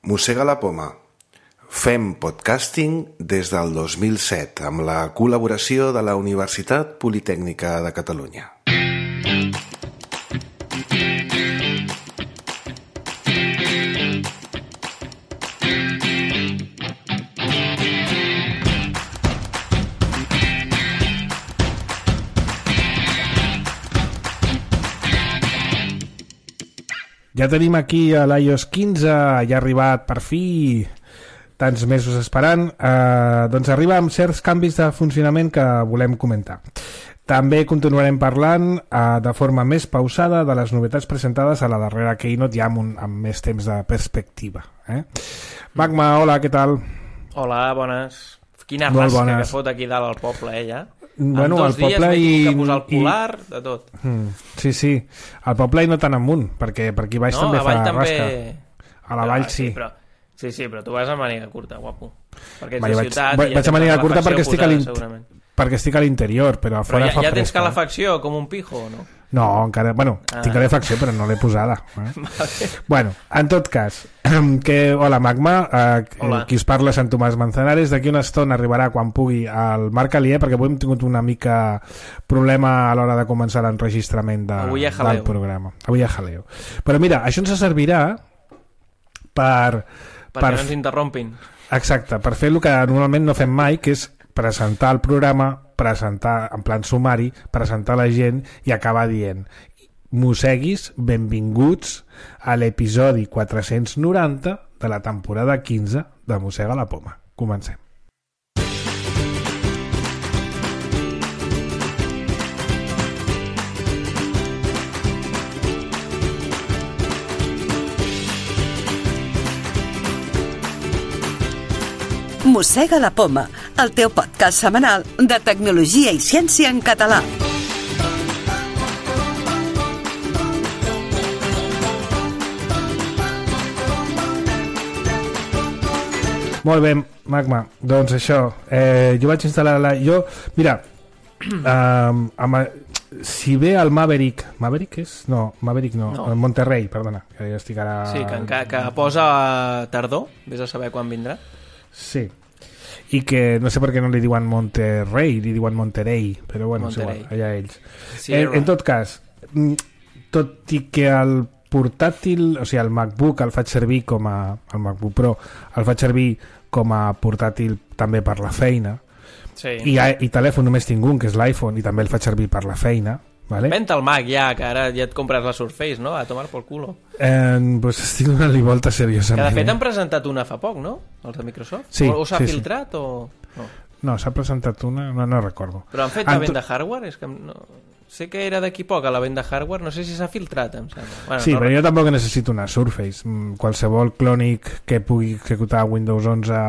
Mossega la poma. Fem podcasting des del 2007 amb la col·laboració de la Universitat Politècnica de Catalunya. Ja tenim aquí a l'iOS 15, ja ha arribat per fi, tants mesos esperant, doncs arriba amb certs canvis de funcionament que volem comentar. També continuarem parlant de forma més pausada de les novetats presentades a la darrera Keynote, ja amb més temps de perspectiva. Magma, hola, què tal? Hola, bones. Quina rasca que fot aquí dalt al poble, ja. Bueno, en 2 dies m'he tingut que posar el polar, de tot. Sí, al poble i no tan amunt, perquè per aquí baix també fa rasca. A la vall sí. Sí, però tu vas a màniga curta, guapo. Perquè vaig a màniga curta perquè estic a l'interior, però a fora fa fresca. Ja tens calefacció com un pijo o no? No, encara, tinc calefacció però no l'he posada. Vale. Bueno, en tot cas, hola Magma, qui us parla Sant Tomàs Manzanares. D'aquí una estona arribarà quan pugui el Marc Alier, perquè avui hem tingut una mica problema a l'hora de començar l'enregistrament del programa. Avui a jaleo. Però mira, això ens servirà perquè no ens interrompin. Exacte, per fer el que normalment no fem mai, que és presentar el programa, presentar en plan sumari, presentar la gent i acabar dient: mosseguis, benvinguts a l'episodi 490 de la temporada 15 de Mossega la poma. Comencem. Mossega la poma, el teu podcast setmanal de tecnologia i ciència en català. Molt bé, Magma, doncs això, jo vaig instal·lar mira, si ve el Maverick el Monterrey, perdona, que ja estic ara... Sí, que posa tardor, vés a saber quan vindrà. Sí, i que no sé per què no li diuen Monterrey, li diuen Monterey, però bueno, és igual, allà ells. Sí, en tot cas, tot i que el portàtil, o sigui, el MacBook el faig servir el MacBook Pro el faig servir com a portàtil també per la feina, sí. I telèfon només tinc un, que és l'iPhone, i també el faig servir per la feina. Vale. Venta el Mac ja, que ara ja et compres la Surface, no? A tomar por culo. Pues estic donant-li volta seriosament. Que de fet han presentat una fa poc, no? Els de Microsoft? Sí, o s'ha filtrat o... No, s'ha presentat una, no recordo. Però han fet la venda hardware? És que no... Sé que era d'aquí poc a la venda hardware, no sé si s'ha filtrat, em sembla. Bueno, sí, però jo tampoc necessito una Surface. Qualsevol clònic que pugui executar Windows 11...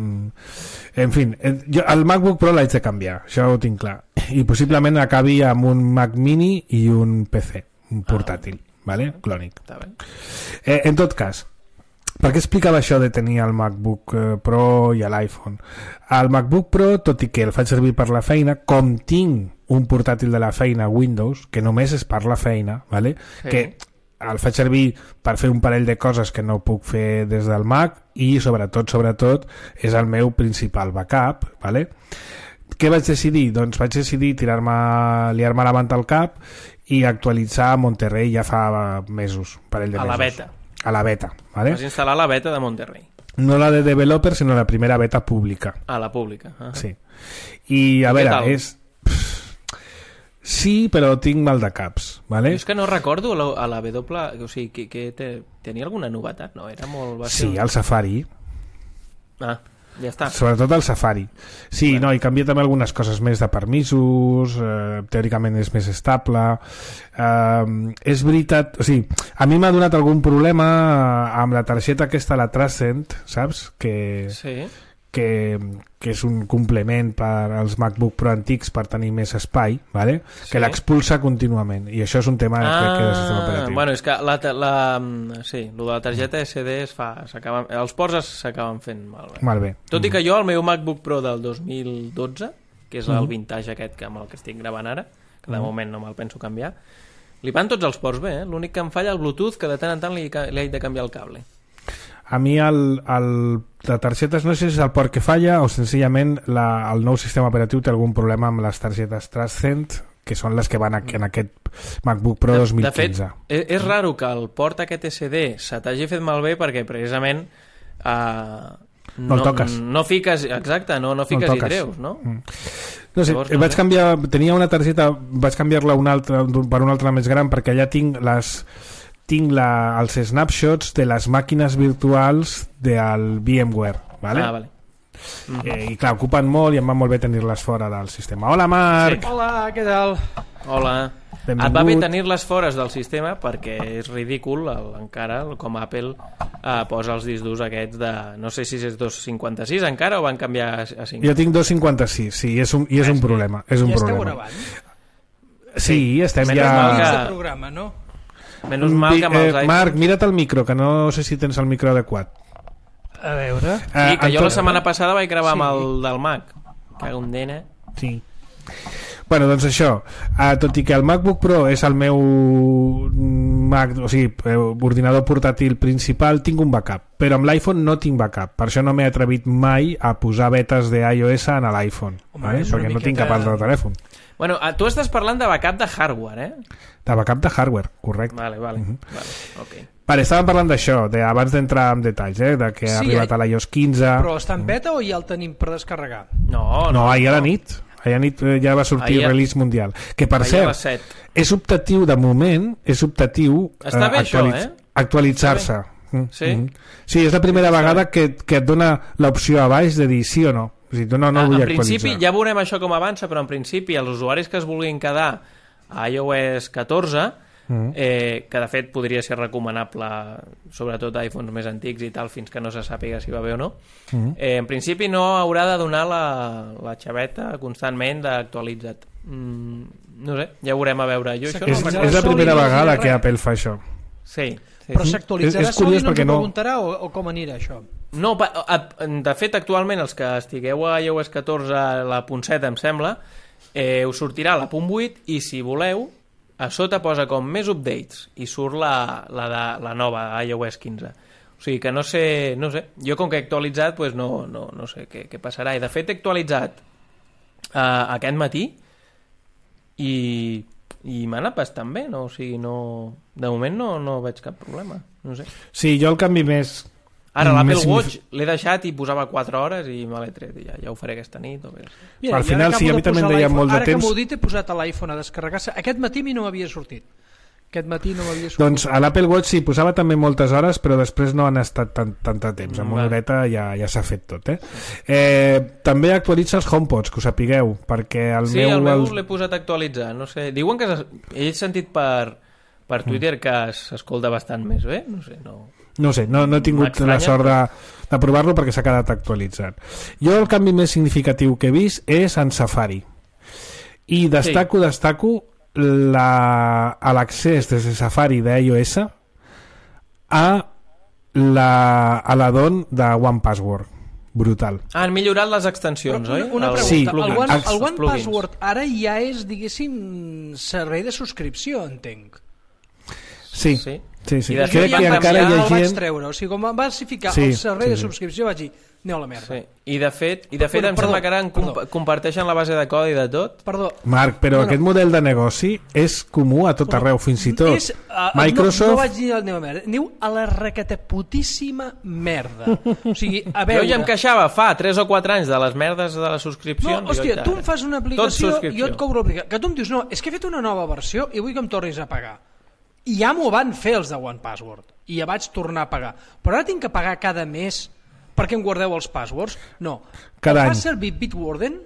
En fi, el MacBook Pro l'haig de canviar, això ho tinc clar, i possiblement acabi amb un Mac Mini i un PC, un portàtil, vale? Clònic. En tot cas, per què explicava això de tenir el MacBook Pro i l'iPhone? El MacBook Pro, tot i que el faig servir per la feina, com tinc un portàtil de la feina Windows, que només és per la feina, vale? Sí. Que el faig servir per fer un parell de coses que no puc fer des del Mac, i sobretot és el meu principal backup, vale? Què vaig decidir? Doncs vaig decidir liar-me la manta al cap i actualitzar Monterrey ja fa mesos, un parell de mesos. A la beta, vale? Vas instal·lar la beta de Monterrey. No la de developer, sinó la primera beta pública. La pública. Sí. I a veure, és... Sí, però tinc mal de caps, vale? És que no recordo a la W, o sigui, que tenia alguna novetat, no? Era molt... Sí, el Safari. Ja està. Sobretot el Safari. Sí, bueno. No, i canvia també algunes coses més de permisos, teòricament és més estable. És veritat, o sigui, a mi m'ha donat algun problema amb la targeta aquesta, la Transcend, saps? Sí. Que és un complement per als MacBook Pro antics per tenir més espai, vale? Sí. Que l'expulsa contínuament, i això és un tema que de sistema operatiu. Bueno, és que sí, el de la targeta SD els ports s'acaben fent malbé. Tot i que jo, el meu MacBook Pro del 2012, que és el vintage aquest amb el que estic gravant ara, que de moment no me'l penso canviar, li van tots els ports bé, L'únic que em falla el Bluetooth, que de tant en tant li haig de canviar el cable. a mi la targeta, no sé si és el port que falla o senzillament el nou sistema operatiu té algun problema amb les targetes Transcend, que són les que van en aquest MacBook Pro 2015. De fet, és raro que el port aquest SD se t'hagi fet malbé perquè precisament no el toques. No fiques, exacte, no fiques i treus, no? No sé, vaig canviar, tenia una targeta, vaig canviar-la per una altra més gran perquè allà tinc els snapshots de les màquines virtuals del VMware, ¿vale? Ah, vale. I clar, ocupen molt i em va molt bé tenir-les fora del sistema. Hola, Marc! Sí. Hola, què tal? Hola. Benvingut. Et va bé tenir-les fora del sistema perquè és ridícul encara com Apple posa els discs durs aquests de, no sé si és 256 encara o van canviar a 5. Jo tinc 256, sí, és un problema. És un esteu problema. gravant? Sí, estem ja... de programa, no? Menys mal que amb els iPhones... Marc, mira't el micro, que no sé si tens el micro adequat. A veure... Sí, que jo la setmana passada vaig gravar amb el del Mac. Cago en dena. Sí. Bueno, doncs això, tot i que el MacBook Pro és el meu Mac, o sigui, ordinador portàtil principal, tinc un backup, però amb l'iPhone no tinc backup, per això no m'he atrevit mai a posar betes d'iOS en l'iPhone, ¿vale? Perquè no tinc cap altre telèfon. Bueno, tu estàs parlant de backup de hardware, De backup de hardware, correcte. Vale, vale, ok. Vale, estàvem parlant d'això, abans d'entrar en detalls, de que ha arribat a l'iOS 15... Però està en beta o ja el tenim per descarregar? No, ahir a la nit. Ahir a nit ja va sortir el release mundial. Que, per cert, és optatiu, de moment, és optatiu actualitzar-se. Sí? Sí, és la primera vegada que et dona l'opció a baix de dir sí o no. O sigui, no vull actualitzar. En principi, ja veurem això com avança, però en principi els usuaris que es vulguin quedar a iOS 14, que de fet podria ser recomanable sobretot a iPhones més antics i tal, fins que no se sàpiga si va bé o no, en principi no haurà de donar la xaveta constantment d'actualitzat. No sé, ja veurem a veure. És la primera vegada que Apple fa això. Sí. Però s'actualitzarà sol i no ens preguntarà o com anirà això? No, de fet actualment els que estigueu a iOS 14 la .7 em sembla, us sortirà la .8 i si voleu a sota posa com més updates i surt la nova iOS 15. O sigui que no sé, jo com que he actualitzat pues no sé què passarà, i de fet he actualitzat aquest matí i m'ha anat bastant bé, no? O sigui, de moment no veig cap problema, no sé. Sí, jo el canvi més... Ara l'Apple Watch l'he deixat i posava 4 hores i me l'he tret i ja ho faré aquesta nit o bé. Al final sí, a mi també em deia molt de temps. Ara que m'ho dit he posat a l'iPhone a descarregar-se. Aquest matí a mi no m'havia sortit. Doncs a l'Apple Watch sí, posava també moltes hores, però després no han estat tant temps. Amb una horeta ja s'ha fet tot. També actualitza els HomePods, que ho sapigueu, perquè el meu l'he posat a actualitzar. No sé, diuen que he sentit per Twitter que s'escolta bastant més bé, no sé, no he tingut la sort de provar-lo perquè s'ha quedat actualitzat. Jo el canvi més significatiu que he vist és en Safari i destaco l'accés des de Safari d'iOS a l'addon de OnePassword. Brutal. Han millorat les extensions, oi? Una pregunta, el OnePassword ara ja és, diguéssim, servei de subscripció, entenc. Sí. I de crec que encara hi ha gent... vaig treure, o sigui, com em vas ficar el servei de subscripció vaig dir, aneu a la merda. I de fet em sembla que ara comparteixen la base de codi de tot. Marc, però aquest model de negoci és comú a tot arreu, fins i tot Microsoft... No vaig dir aneu a merda, aneu a la recateputíssima merda. O sigui, a veure... Jo ja em queixava fa 3 o 4 anys de les merdes de les subscripcions. No, hòstia, tu em fas una aplicació i jo et cobro l'aplicació. Que tu em dius, no, és que he fet una nova versió i vull que em tornis a pagar. I ja m'ho van fer els de OnePassword i ja vaig tornar a pagar, però ara tinc que pagar cada mes perquè em guardeu els passwords? No, cada any. Fa servir Bitwarden,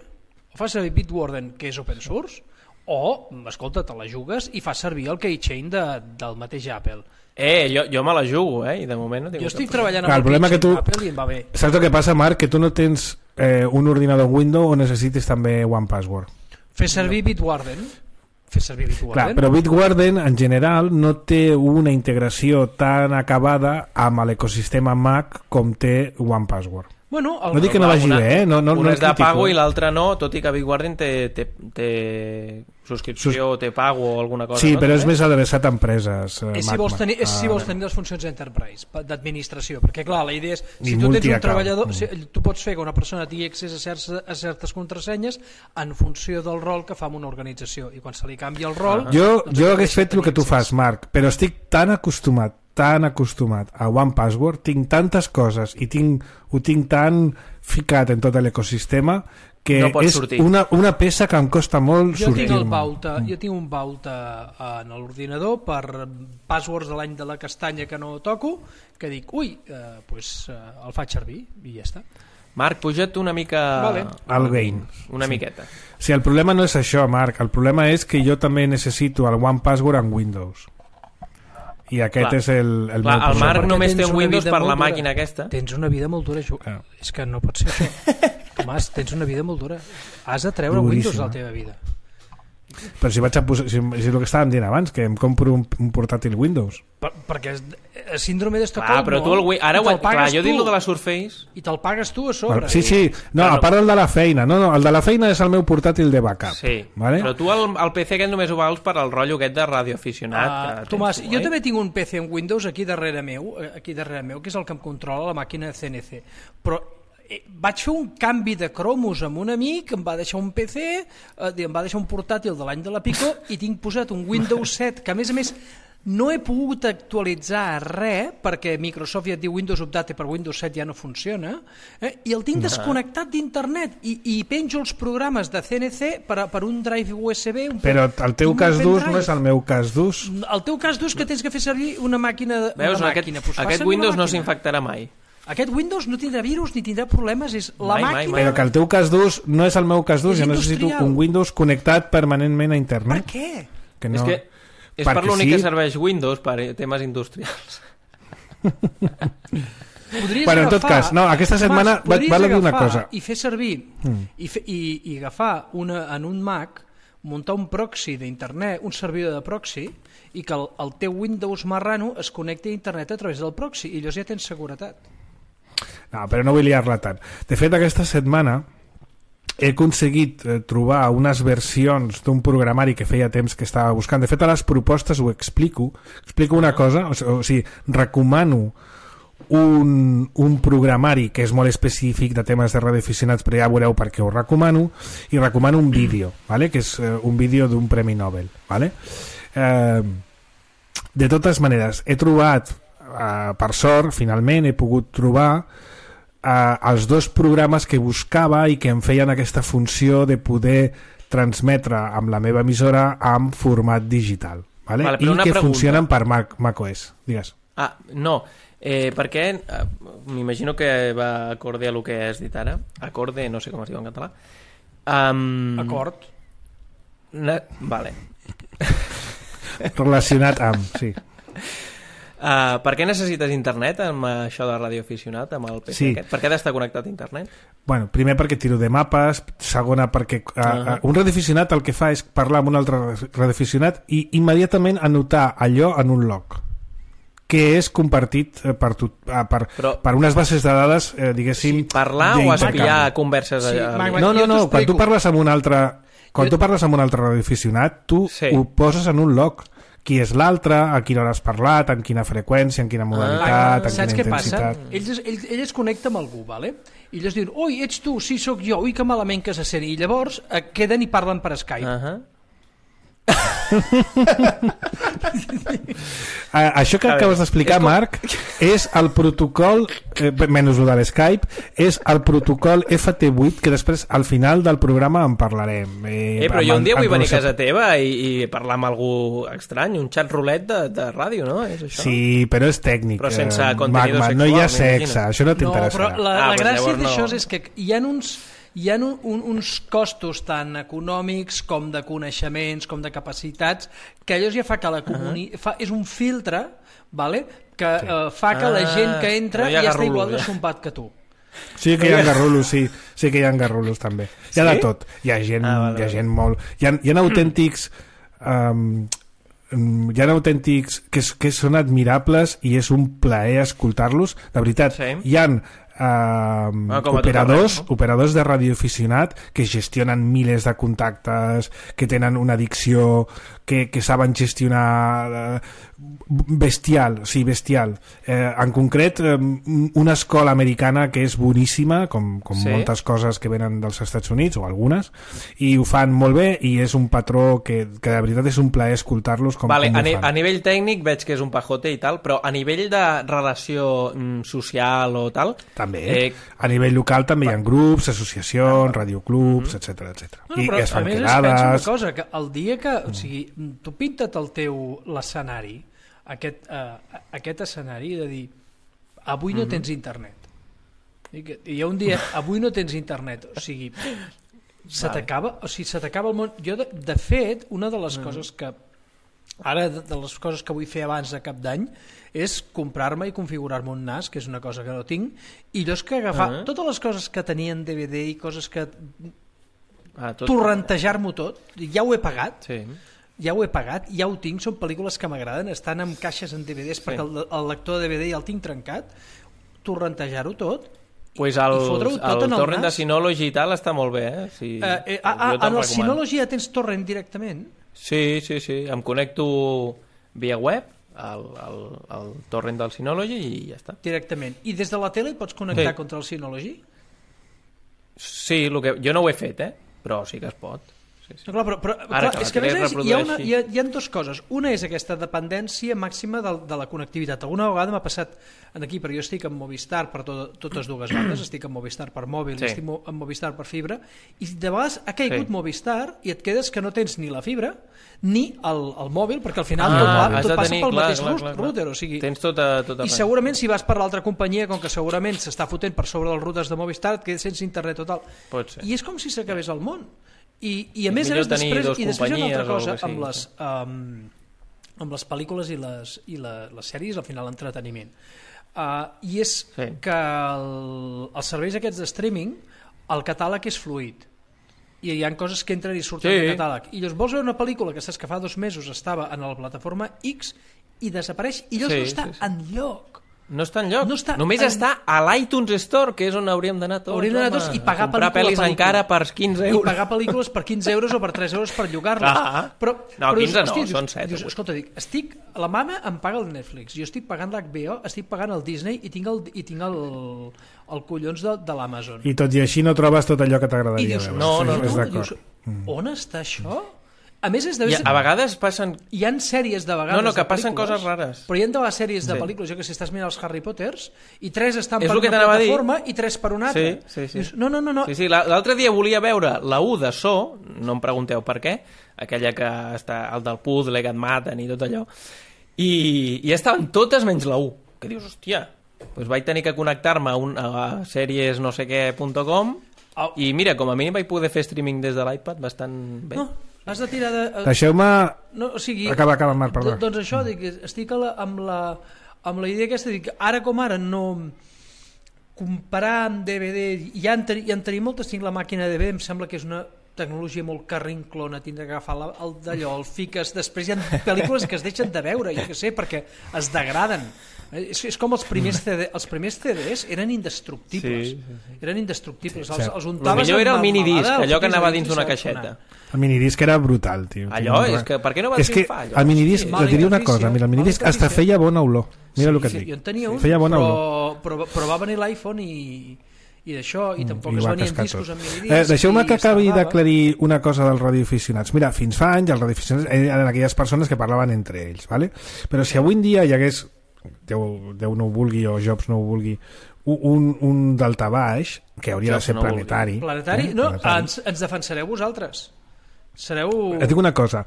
que és open source, o, escolta, te la jugues i fa servir el keychain del mateix Apple. Jo me la jugo, i de moment no tinc... Jo estic treballant amb el keychain d'Apple i em va bé. Saps el que passa, Marc? Que tu no tens un ordinador Windows o necessites també OnePassword. Fer servir Bitwarden. Clar, però Bitwarden en general no té una integració tan acabada amb l'ecosistema Mac com té OnePassword. Bueno, no dic que no vagi bé, un és de pago i l'altre no, tot i que Big Guardian té subscripció o té pago o alguna cosa. Sí, però és més adreçat a empreses. Si vols tenir les funcions d'enterprise, d'administració, perquè clar, la idea és, si tu tens un treballador, tu pots fer que una persona tingui accés a certes contrasenyes en funció del rol que fa en una organització, i quan se li canvia el rol... Jo hagués fet el que tu fas, Marc, però estic tan acostumat a OnePassword, tinc tantes coses i ho tinc tan ficat en tot l'ecosistema que no és una peça que em costa molt sortir-me. Jo tinc un vault en l'ordinador per passwords de l'any de la castanya que no toco, que dic, el faig servir i ja està. Marc, puja't una mica... Al gain. Una miqueta. Sí, el problema no és això, Marc, el problema és que jo també necessito el OnePassword en Windows. I aquest és el meu problema. El Marc només té un Windows per la màquina aquesta. Tens una vida molt dura, és que no pot ser això. Tomàs, tens una vida molt dura. Has de treure Windows de la teva vida. Però si vaig a posar, si és el que estàvem dient abans, que em compro un portàtil Windows. Perquè síndrome d'Estocolm, però tu jo dic el de la Surface i te'l pagues tu a sobre. Sí, no, a part el de la feina. No, el de la feina és el meu portàtil de backup. Sí, vale? Però tu el PC aquest només ho vals per al rotllo aquest de radioaficionat. Tomàs, jo també tinc un PC en Windows aquí darrere meu, que és el que em controla la màquina de CNC, però vaig fer un canvi de cromos amb un amic, em va deixar un PC, em va deixar un portàtil de l'any de la Pico i tinc posat un Windows 7 que a més no he pogut actualitzar res perquè Microsoft ja et diu Windows Update per Windows 7 ja no funciona, i el tinc desconnectat d'internet i penjo els programes de CNC per un drive USB. Però el teu cas d'ús no és el meu cas d'ús. El teu cas d'ús que tens que fer servir una màquina. Veus, aquest Windows no s'infectarà mai. Aquest Windows no tindrà virus ni tindrà problemes, és la màquina... Però que el teu cas d'ús no és el meu cas d'ús, jo necessito un Windows connectat permanentment a internet. Per què? És per l'únic que serveix Windows per temes industrials. Bueno, en tot cas, no, aquesta setmana val a dir una cosa. I fer servir i agafar en un Mac, muntar un proxy d'internet, un servidor de proxy, i que el teu Windows marrano es connecti a internet a través del proxy, i llavors ja tens seguretat. No, però no vull liar-la tant. De fet, aquesta setmana he aconseguit trobar unes versions d'un programari que feia temps que estava buscant. De fet, a les propostes ho explico una cosa, o sigui, recomano un programari que és molt específic de temes de radioaficionats, però ja veureu per què ho recomano, i recomano un vídeo, ¿vale? Que és un vídeo d'un Premi Nobel, ¿vale? De totes maneres, he trobat, per sort, finalment he pogut trobar els dos programes que buscava i que em feien aquesta funció de poder transmetre amb la meva emissora en format digital, ¿vale? I que funcionen per macOS. Digues. No, perquè m'imagino que va acorde a el que has dit ara. Acorde, no sé com es diu en català. Acord. Vale. Relacionat amb, sí. Per què necessites internet amb això de radioaficionat, amb el PC aquest? Per què has d'estar connectat a internet? Bueno, primer perquè tiro de mapes, segona perquè un radioaficionat el que fa és parlar amb un altre radioaficionat i immediatament anotar allò en un log que és compartit per unes bases de dades, diguéssim... Sí, parlar o espiar converses? Sí, no, quan tu parles amb un altre radioaficionat, tu ho poses en un log. Qui és l'altre, a quina hora has parlat, en quina freqüència, en quina modalitat, en quina intensitat... Saps què passa? Ell es connecta amb algú, ¿vale? I ells diuen, ui, ets tu, sí, sóc jo, ui, que malament que se sent. I llavors queden i parlen per Skype. Això que acabes d'explicar, Marc, és el protocol, menys el de l'Skype, és el protocol FT8, que després al final del programa en parlarem. Però jo un dia vull venir a casa teva i parlar amb algú estrany, un xat roulette de ràdio, no? És això? Sí, però és tècnic. Però sense contenido sexual. No hi ha sexe, això no t'interessarà. No, però la gràcia d'això és que hi ha uns costos tant econòmics com de coneixements, com de capacitats, que allò ja fa que és un filtre, ¿vale? Que fa que la gent que entra ja està igual de sompat que tu. Sí que hi ha garrulos, sí que hi ha garrulos també. Hi ha de tot. Hi ha gent molt... Hi ha autèntics... hi ha autèntics que són admirables i és un plaer escoltar-los, de veritat. Hi ha operadors de radioaficionat que gestionen milers de contactes, que tenen una dicció, que saben gestionar bestial. En concret, una escola americana que és boníssima, com moltes coses que venen dels Estats Units, o algunes, i ho fan molt bé, i és un patró que de veritat és un plaer escoltar-los com ho fan. A nivell tècnic veig que és un pajote i tal, però a nivell de relació social o tal... També. A nivell local també hi ha grups, associacions, radioclubs, etc. I es fan quedades... A més, penso una cosa, que el dia que... O sigui, tu pinta't l'escenari, aquest escenari de dir avui no tens internet. Hi ha un dia, avui no tens internet. O sigui, se t'acaba el món. Jo, de fet, una de les coses que... Ara, de les coses que vull fer abans de cap d'any és comprar-me i configurar-me un NAS, que és una cosa que no tinc, i jo és que agafar totes les coses que tenien DVD i coses que... torrentejar-m'ho tot, ja ho he pagat, ja ho tinc, són pel·lícules que m'agraden, estan en caixes en DVDs perquè el lector de DVD ja el tinc trencat, torrentejar-ho tot, pues el torrent de Synology i tal està molt bé, en el Synology ja tens torrent directament? Sí, em connecto via web al torrent del Synology i ja està. Directament. I des de la tele pots connectar contra el Synology? Sí, jo no ho he fet, però sí que es pot. No, però és que hi ha dues coses. Una és aquesta dependència màxima de la connectivitat. Alguna vegada m'ha passat aquí, perquè jo estic amb Movistar per totes dues bandes, estic amb Movistar per mòbil i estic amb Movistar per fibra, i de vegades ha caigut Movistar i et quedes que no tens ni la fibra ni el mòbil, perquè al final tot passa pel mateix router, o sigui, tens tota i segurament si vas per l'altra companyia, com que segurament s'està fotent per sobre dels routers de Movistar, et quedes sense internet total, i és com si s'acabés el món. I a més després hi ha una altra cosa amb les pel·lícules i les sèries, al final l'entreteniment, i és que els serveis aquests de streaming, el catàleg és fluid i hi ha coses que entren i surten del catàleg, i llavors vols veure una pel·lícula que saps que fa 2 mesos estava en la plataforma X i desapareix i llavors no està enlloc. No està enlloc, només està a l'iTunes Store, que és on hauríem d'anar tots, i pagar comprar pel·lis encara per 15 euros. I pagar pel·lícules per 15 euros o per 3 euros per llogar-les. No, 15 no, són 7. Escolta, la mama em paga el Netflix, jo estic pagant l'HBO, estic pagant el Disney i tinc el collons de l'Amazon. I tot i així no trobes tot allò que t'agradaria veure. No. On està això? A més, a vegades passen... Hi ha sèries de vegades... No, que passen coses rares. Però hi ha de les sèries de pel·lícules, jo que sé, estàs mirant els Harry Potters, i 3 estan per una plataforma i 3 per una altra. Sí. Dius, no. Sí, l'altre dia volia veure la 1 de So, no em pregunteu per què, aquella que està al del puzzle, que et maten i tot allò, i estaven totes menys la 1, que dius, hòstia, doncs vaig tenir que connectar-me a sèries no sé què.com i mira, com a mínim vaig poder fer streaming des de l'iPad bastant bé. No. Has de tirar de... Deixeu-me... Acaba, Marc, perdó. Doncs això, estic amb la idea aquesta, dic, ara com ara no... Comparar amb DVD... Ja en tenim moltes, tinc la màquina de DVD, em sembla que és una tecnologia molt carrinclona, tindre que agafar d'allò, el fiques, després hi ha pel·lícules que es deixen de veure, jo què sé, perquè es degraden. És com els primers CDs eren indestructibles. Eren indestructibles. Els untaves... El millor era el minidisc, allò que anava dins d'una caixeta. El minidisc era brutal, tio. Allò, és que per què no va triomfar? És que el minidisc, et diria una cosa, mira, el minidisc hasta feia bona olor. Mira el que et dic. Jo en tenia un, però va venir l'iPhone i d'això, i tampoc es venien discos amb minidisc. Deixeu-me que acabi d'aclarir una cosa dels radioaficionats. Mira, fins fa anys els radioaficionats eren aquelles persones que parlaven entre ells, ¿vale? Però si avui en dia hi hagués, Déu no ho vulgui o Jobs no ho vulgui, un daltabaix que hauria de ser planetari. Planetari? No, ens defensareu vosaltres. Et dic una cosa,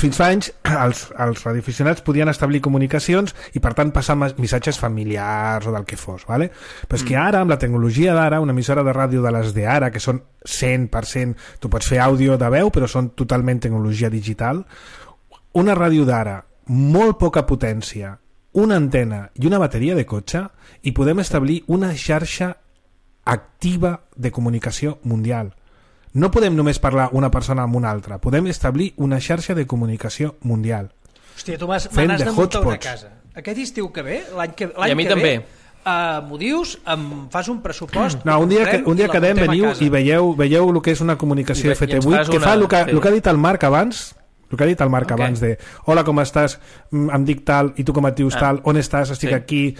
fins fa anys els radioaficionats podien establir comunicacions i per tant passar missatges familiars o del que fos, ¿vale? Però és que ara, amb la tecnologia d'ara, una emissora de ràdio de les d'ara, que són 100%, tu pots fer àudio de veu però són totalment tecnologia digital, una ràdio d'ara, molt poca potència, una antena i una bateria de cotxe, i podem establir una xarxa activa de comunicació mundial. No podem només parlar una persona amb una altra, podem establir una xarxa de comunicació mundial. Hòstia, tu me n'has de muntar una casa. Aquest estiu que ve, l'any que ve, també. m'ho dius, em fas un pressupost... No, un dia quedem, veniu i veieu el que és una comunicació FT8, que fa el que ha dit el Marc abans, abans de hola, com estàs? Em dic tal i tu com et dius tal, on estàs? Estic aquí,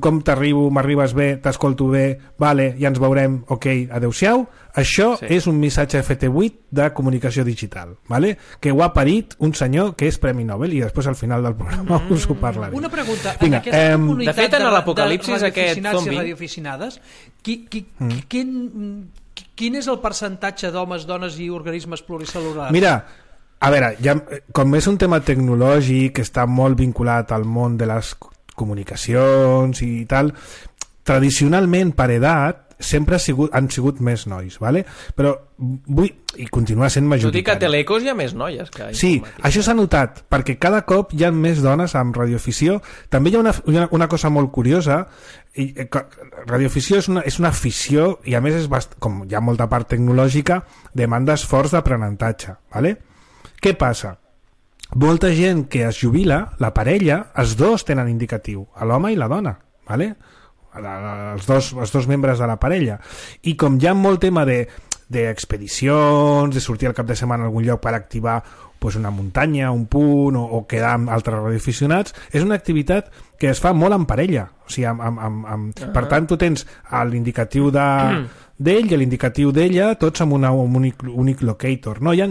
com t'arribo? M'arribes bé? T'escolto bé? Vale, ja ens veurem, ok, adeu-siau. Això és un missatge FT8 de comunicació digital, vale? Que ho ha parit un senyor que és Premi Nobel i després al final del programa us ho parlaré. Una pregunta, en aquesta comunitat de fet, en l'apocalipsis aquest zombi i radioaficionades, quin és el percentatge d'homes, dones i organismes pluricel·lulars? Mira, a veure, com és un tema tecnològic que està molt vinculat al món de les comunicacions i tal, tradicionalment per edat sempre han sigut més nois, ¿vale? Però i continua sent majoritari. Tu dic que a Telecos hi ha més noies que sí, això s'ha notat, perquè cada cop hi ha més dones amb radioafició. També hi ha una cosa molt curiosa, radioafició és una afició i a més com hi ha molta part tecnològica, demanda esforç d'aprenentatge, ¿vale? Què passa? Molta gent que es jubila, la parella, els dos tenen indicatiu, l'home i la dona, ¿vale? Els dos membres de la parella. I com hi ha molt tema d'expedicions, de sortir al cap de setmana a algun lloc per activar una muntanya, un punt, o quedar amb altres radioaficionats, és una activitat que es fa molt en parella. O sigui, per tant, tu tens l'indicatiu d'ell i l'indicatiu d'ella, tots amb un únic locator. No, hi ha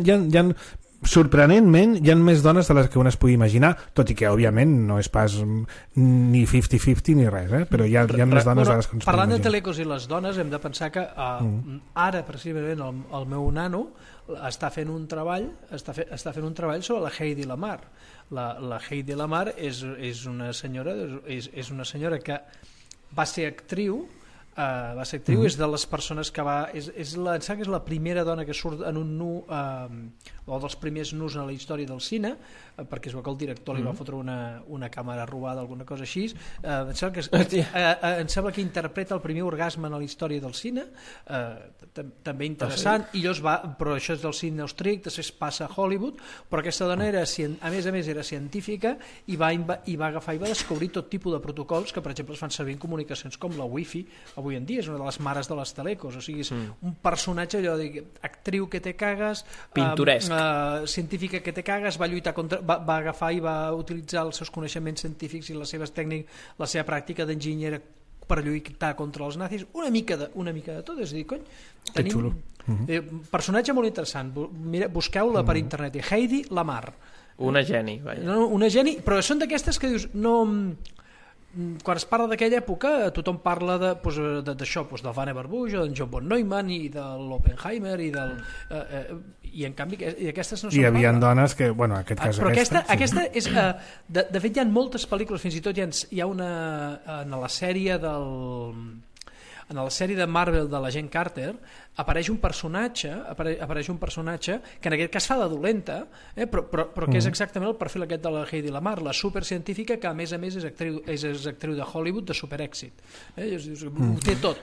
sorprenentment hi ha més dones de les que un es pugui imaginar, tot i que òbviament no és pas ni 50-50 ni res, però hi ha més dones de les que ens parlant de Telecos i les dones, hem de pensar que ara precisament el meu nano està fent un treball sobre la Heidi Lamar. La Heidi Lamar és una senyora que va ser actriu, és de les persones que és la primera dona que surt en un nu, o dels primers nus en la història del cine, perquè es veu que el director li va fotre una càmera robada, alguna cosa així. Em sembla que interpreta el primer orgasme en la història del cine, també interessant, però això és del cine austríac, després passa a Hollywood, però aquesta dona a més a més era científica i va agafar i va descobrir tot tipus de protocols que per exemple es fan servir en comunicacions com la Wi-Fi avui en dia, és una de les mares de les telecos, o sigui, és un personatge allò de actriu que te cagues, pintoresc, científica que te cagues, va lluitar contra, va agafar i va utilitzar els seus coneixements científics i les seves tècniques, la seva pràctica d'enginyera per lluitar contra els nazis, una mica de tot, és a dir, cony, tenim personatge molt interessant, busqueu-la per internet, Heidi Lamar, una geni, però són d'aquestes que dius, no... Quan es parla d'aquella època tothom parla d'això, del Vannevar Bush o d'en John von Neumann i de l'Oppenheimer i en canvi aquestes no són. Hi havia dones que, en aquest cas però aquesta és, de fet hi ha moltes pel·lícules, fins i tot hi ha una en la sèrie de Marvel de l'agent Carter apareix un personatge que en aquest cas fa de dolenta, però que és exactament el perfil aquest de la Heidi Lamar, la supercientífica que a més és actriu de Hollywood de superèxit, ho té tot.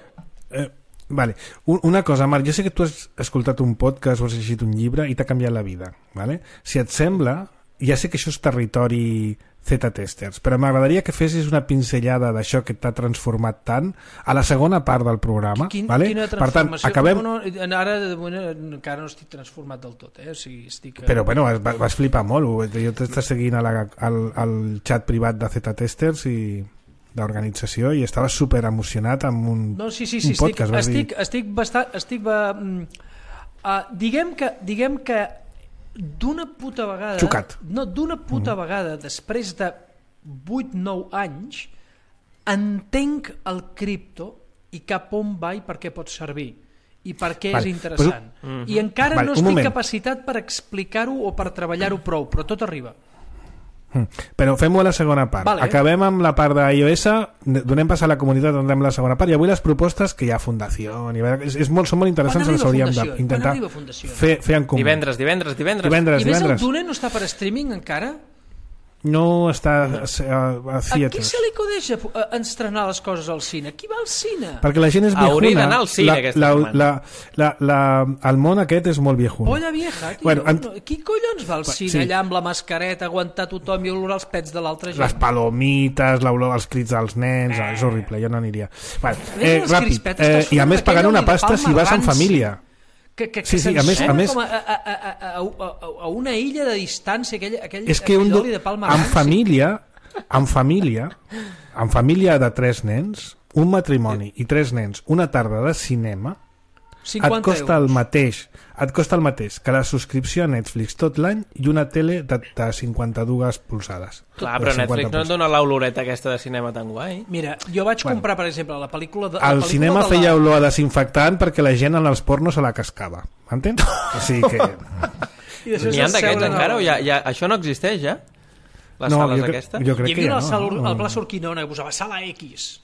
Vale. Una cosa, Marc, jo sé que tu has escoltat un podcast o has llegit un llibre i t'ha canviat la vida, vale? Si et sembla, ja sé que això és territori Z-testers, però m'agradaria que fessis una pinzellada d'això que t'ha transformat tant a la segona part del programa. Vale? Quina transformació? Per tant, ara encara no estic transformat del tot, o sigui, però vas flipar molt, jo t'estàs seguint al xat privat de Z-testers i d'organització i estava super emocionat amb un podcast. Diguem que d'una puta vegada vegada després de 8-9 anys entenc el cripto i cap on va i per què pot servir i per què és interessant i encara no estic capacitat per explicar-ho o per treballar-ho prou, però tot arriba. Però fem-ho a la segona part. Acabem amb la part d'iOS, donem pas a la comunitat, entrem a la segona part i avui les propostes que hi ha fundació són molt interessants, les hauríem d'intentar fer en comú. Divendres. I més el Dune no està per streaming encara? no està a theatres. A qui se li acudeix estrenar les coses al cine? Qui va al cine? Perquè la gent és viejuna. Hauria d'anar al cine aquesta setmana. El món aquest és molt viejuna. Polla vieja, tio. Qui collons va al cine allà amb la mascareta, aguantar tothom i olorar els pets de l'altra gent? Les palomites, l'olor als crits dels nens, és horrible, jo no aniria. Ràpid, i a més pagant una pasta si vas en família. Que a més a una illa de distància, aquell episodi de Palma en família de 3 nens, un matrimoni i 3 nens, una tarda de cinema, et costa el mateix que la subscripció a Netflix tot l'any i una tele de 52 polzades. Clar, però Netflix no et dona l'oloreta aquesta de cinema tan guai. Mira, jo vaig comprar, per exemple, la pel·lícula... El cinema feia olor a desinfectant perquè la gent en els pornos se la cascava. M'entens? O sigui que... N'hi ha d'aquests encara? Això no existeix, ja? Les sales aquestes? Jo crec que ja no. Al Pla Urquinaona que posava Sala X.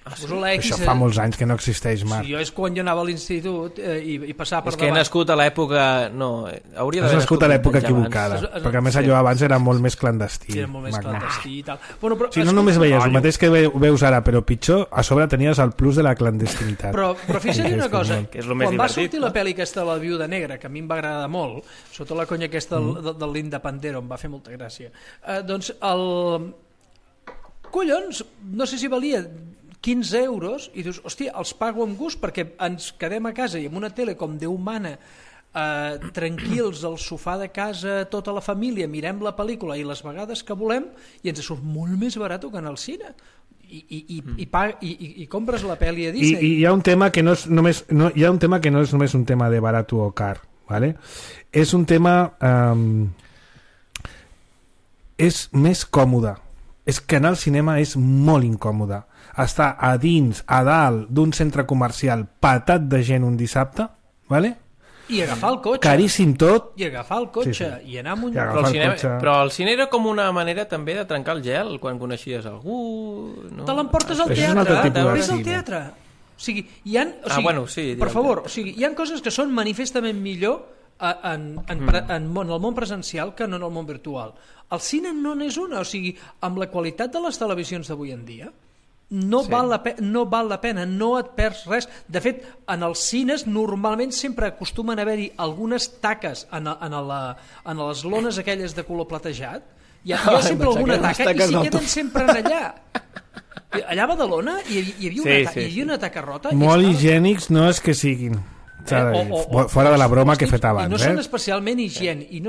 Això fa molts anys que no existeix, Marc. Sí, jo és quan jo anava a l'institut i passava per davant. És que he nascut a l'època... No, hauria d'haver nascut a l'època equivocada, perquè a més allò abans era molt més clandestí. Era molt més clandestí i tal. Bueno, però, si no només veies el mateix que veus ara, però pitjor, a sobre tenies el plus de la clandestinitat. Però fixa't una cosa, que és quan va sortir la pel·li aquesta de la Viuda Negra, que a mi em va agradar molt, sota la conya aquesta de l'Independero, em va fer molta gràcia, doncs collons, no sé si valia 15 euros i dius, hòstia, els pago amb gust perquè ens quedem a casa i amb una tele com Déu mana, tranquils al sofà de casa, tota la família, mirem la pel·lícula i les vegades que volem i ens surt molt més barat que anar al cine i compres la pel·li a Disney. I hi ha un tema que no és només un tema de barat o car, ¿vale? És un tema és més còmode. És que anar al cinema és molt incòmode. Estar a dins, a dalt d'un centre comercial patat de gent un dissabte, ¿vale? I agafar el cotxe. Caríssim tot. I agafar el cotxe. Sí. I anar amb un... Però el cine era com una manera també de trencar el gel quan coneixies algú... No? Te l'emportes al teatre. Ves al teatre. O sigui, per favor, hi ha coses que són manifestament millor en el món presencial que no en el món virtual. El cine no n'és una, o sigui, amb la qualitat de les televisions d'avui en dia no val la pena, no et perds res. De fet, en els cines normalment sempre acostumen a haver-hi algunes taques en les lones aquelles de color platejat. Hi ha sempre alguna taca i s'hi queden sempre allà. Allà a Badalona hi havia una taca rota. Molt higiènics no és que siguin. Fora de la broma que he fet abans. I no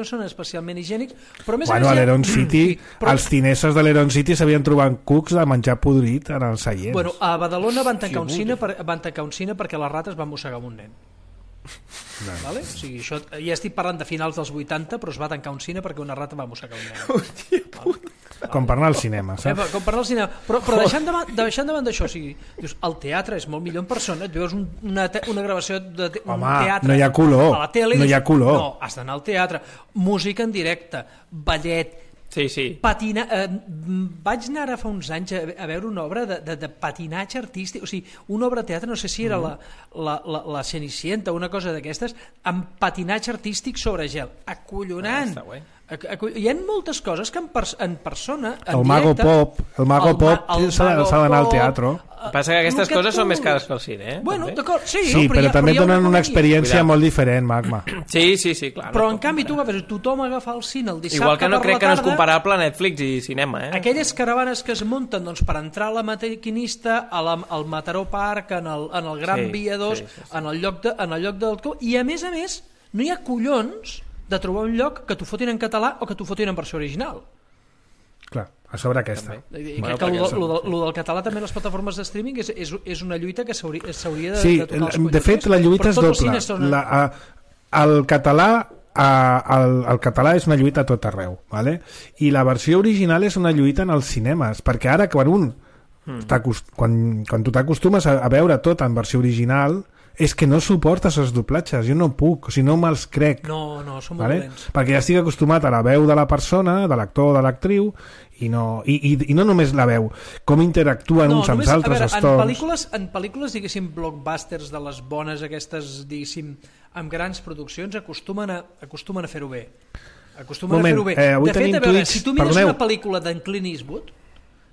són especialment higiènics, però més a l'Heron City, els cineses de l'Heron City s'havien trobat cucs de menjar podrit en els seients. Bueno, a Badalona van tancar un cine perquè les rates van mossegar amb un nen. Vale? O sigui, això, ja estic parlant de finals dels 80, però es va tancar un cine perquè una rata va mossegar un nen. Hòstia puta. Com per anar al cinema, saps? Com per anar al cinema. Però deixant davant d'això, o sigui, dius, el teatre és molt millor en persona, et veus una gravació de un teatre no hi ha color, a la tele, no hi ha color. No, has d'anar al teatre, música en directe, ballet, sí. Patinar, vaig anar ara fa uns anys a veure una obra de patinatge artístic, o sigui, una obra de teatre, no sé si era la Cenicienta o una cosa d'aquestes, amb patinatge artístic sobre gel, acollonant. Hi ha moltes coses que en persona, en directe... El Mago Pop s'ha d'anar al teatre. Passa que aquestes coses són més cares que el cine, eh? Bueno, d'acord, sí, però també donen una experiència molt diferent, Magma. Sí, clar. Però en canvi tothom agafa el cine el dissabte igual que no crec que no és tarda, comparable Netflix i cinema, eh? Aquelles caravanes que es munten doncs, per entrar a la maquinista al Mataró Park, en el Gran Via 2, en el lloc del... I a més, no hi ha collons de trobar un lloc que t'ho fotin en català o que t'ho fotin en versió original. Clar, a sobre aquesta. Crec que lo del català també en les plataformes de streaming és una lluita que s'hauria de tocar els collons. De fet, la lluita és doble. El català és una lluita a tot arreu, ¿vale? I la versió original és una lluita en els cinemes, perquè ara quan tu t'acostumes a veure tot en versió original, és que no suportes els doblatges, jo no puc, o sigui, no me'ls crec. No, són molt dolents. Perquè ja estic acostumat a la veu de la persona, de l'actor o de l'actriu, i no només la veu, com interactuen uns amb els altres, els tons. En pel·lícules, diguéssim, blockbusters de les bones aquestes, diguéssim, amb grans produccions, acostumen a fer-ho bé. Acostumen a fer-ho bé. De fet, a veure, si tu mires una pel·lícula d'en Clint Eastwood,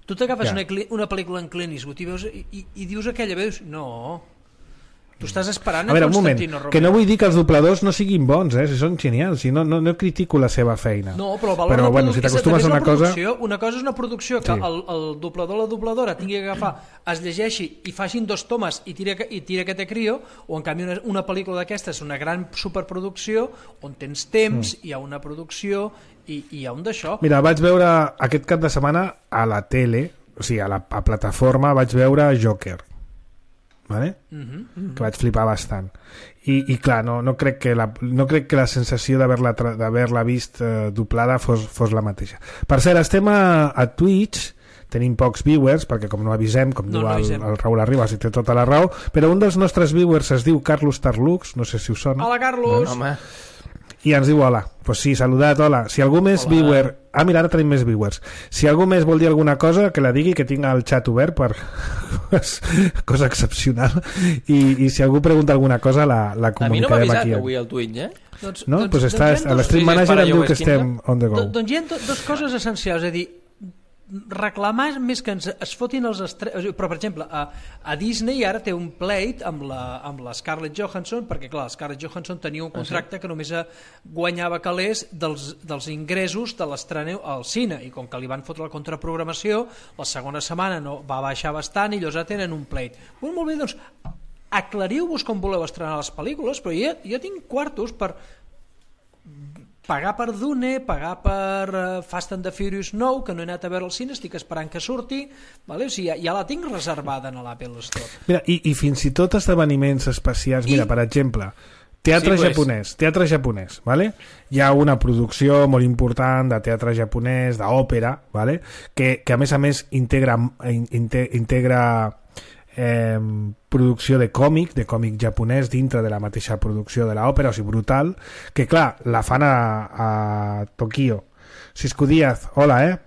tu t'agafes una pel·lícula en Clint Eastwood i dius aquella, veus? No, tu estàs esperant a veure, Constantino Romero. Que no vull dir que els dobladors no siguin bons, si són genials, no critico la seva feina. No, però el valor bueno, si t'acostumes a una cosa... Una cosa és una producció que el doblador o la dobladora tingui que agafar, es llegeixi i facin 2 tomes i tira que te crio, o en canvi una pel·lícula d'aquesta és una gran superproducció on tens temps, hi ha una producció i hi ha un d'això. Mira, vaig veure aquest cap de setmana a la tele, o sigui, a la plataforma vaig veure Joker, vale? Que vaig flipar bastant i clar, no crec que la sensació d'haver-la vist doblada fos la mateixa. Per cert, estem a Twitch, tenim pocs viewers perquè com no avisem, com diu el Raül Arribas, i té tota la raó, però un dels nostres viewers es diu Carlos Tarlux, no sé si us sona. Hola, Carlos! Home. I ens diu hola. Pues sí, saludat, hola. Si algú més viewer... mira, ara tenim més viewers. Si algú més vol dir alguna cosa, que la digui, que tinc el xat obert per cosa excepcional. I si algú pregunta alguna cosa, la comunicarem aquí. A mi no m'ha avisat avui al Twitch, No? Doncs està, a l'Stream Manager em diu que estem on the go. Doncs hi ha dues coses essencials, és a dir, reclamar més que es fotin els però per exemple a Disney ara té un pleit amb la Scarlett Johansson, perquè clar, la Scarlett Johansson tenia un contracte que només guanyava calés dels ingressos de l'estrena al cine, i com que li van fotre la contraprogramació, la segona setmana no va baixar bastant i llavors tenen un pleit. Molt bé, doncs aclariu-vos com voleu estrenar les pel·lícules, però jo tinc quartos per pagar per Dune, pagar per Fast and the Furious 9, que no he anat a veure al cine, estic esperant que surti, vale? O sigui, ja la tinc reservada en l'Apple Store. Mira, i fins i tot esdeveniments especials, mira, per exemple, teatre japonès, vale? Hi ha una producció molt important de teatre japonès, d'òpera, vale? que a més integra producció de còmic japonès dintre de la mateixa producció de l'òpera, o sigui, brutal, que clar, la fan a Tokyo. Cisco Díaz, hola,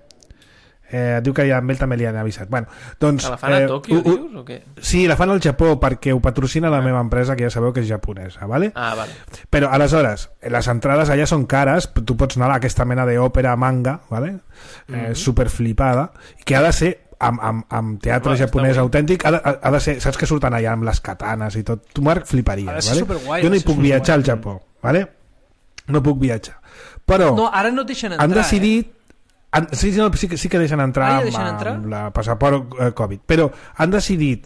diu que amb ell també li han avisat. Bueno, doncs, la fan a Tokyo, dius, o què? Sí, la fan al Japó perquè ho patrocina la meva empresa, que ja sabeu que és japonesa, vale? Vale. Però aleshores, les entrades allà són cares, tu pots anar a aquesta mena d'òpera manga, vale? Superflipada, que ha de ser amb teatre japonès autèntic, ha de ser, saps que surten allà amb les katanes i tot, tu, Marc, fliparies, vale? Jo no hi puc viatjar al Japó, vale? No puc viatjar, però ara no et deixen entrar, han decidit sí que deixen entrar amb la passaport Covid, però han decidit